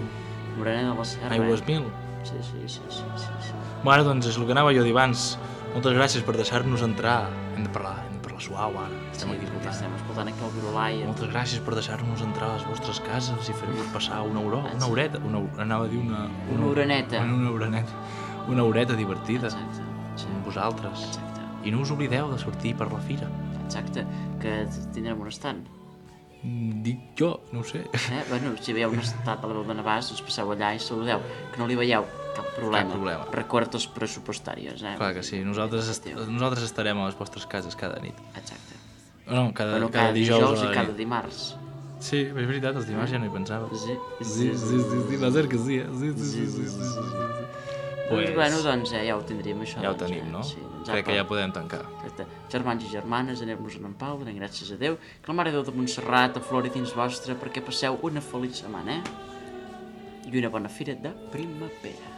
Morena de la Serra. aigües eh? mil. Sí, sí, sí, sí, sí, sí. Bueno, doncs és el que anava jo a dir abans. Moltes gràcies per deixar-nos entrar. Hem de parlar, hem de parlar suau ara. Estem Sí, aquí perquè escoltant. estem escoltant aquí el Virulai. Moltes gràcies per deixar-nos entrar a les vostres cases i fer-vos passar una horeta, Ah, una sí. horeta, una, anava a dir una... Una horaneta. Una horaneta. Una horeta divertida Exacte, sí. amb vosaltres. Exacte, I no us oblideu de sortir per la fira. exacte, que tindrem un estant. Mm, Dic jo, no ho sé. Eh? Bueno, si veieu un estat a la veu de Navàs, us passeu allà i saludeu. Que no li veieu, cap problema. Cap problema. Records pressupostàries, eh? Clar que sí, nosaltres, est Hòstia. nosaltres estarem a les vostres cases cada nit. Exacte. No, cada, Bueno, cada, cada dijous, dijous a i la cada nit. dimarts. Sí, és veritat, els dimarts ja no hi pensava. Sí, Sí, sí, sí, sí, va ser que sí, eh? Sí, sí, sí, sí, sí, sí, sí. Doncs, bueno, doncs eh, ja ho tindríem, això. Ja ho doncs, tenim, eh? no? Sí, doncs, Crec que apa. ja podem tancar. Exacte. Germans i germanes, anem-nos-en en pau, donem gràcies a Déu, que la Mare de Déu de Montserrat aflori dins vostre perquè passeu una feliç setmana, eh? I una bona fira de primavera.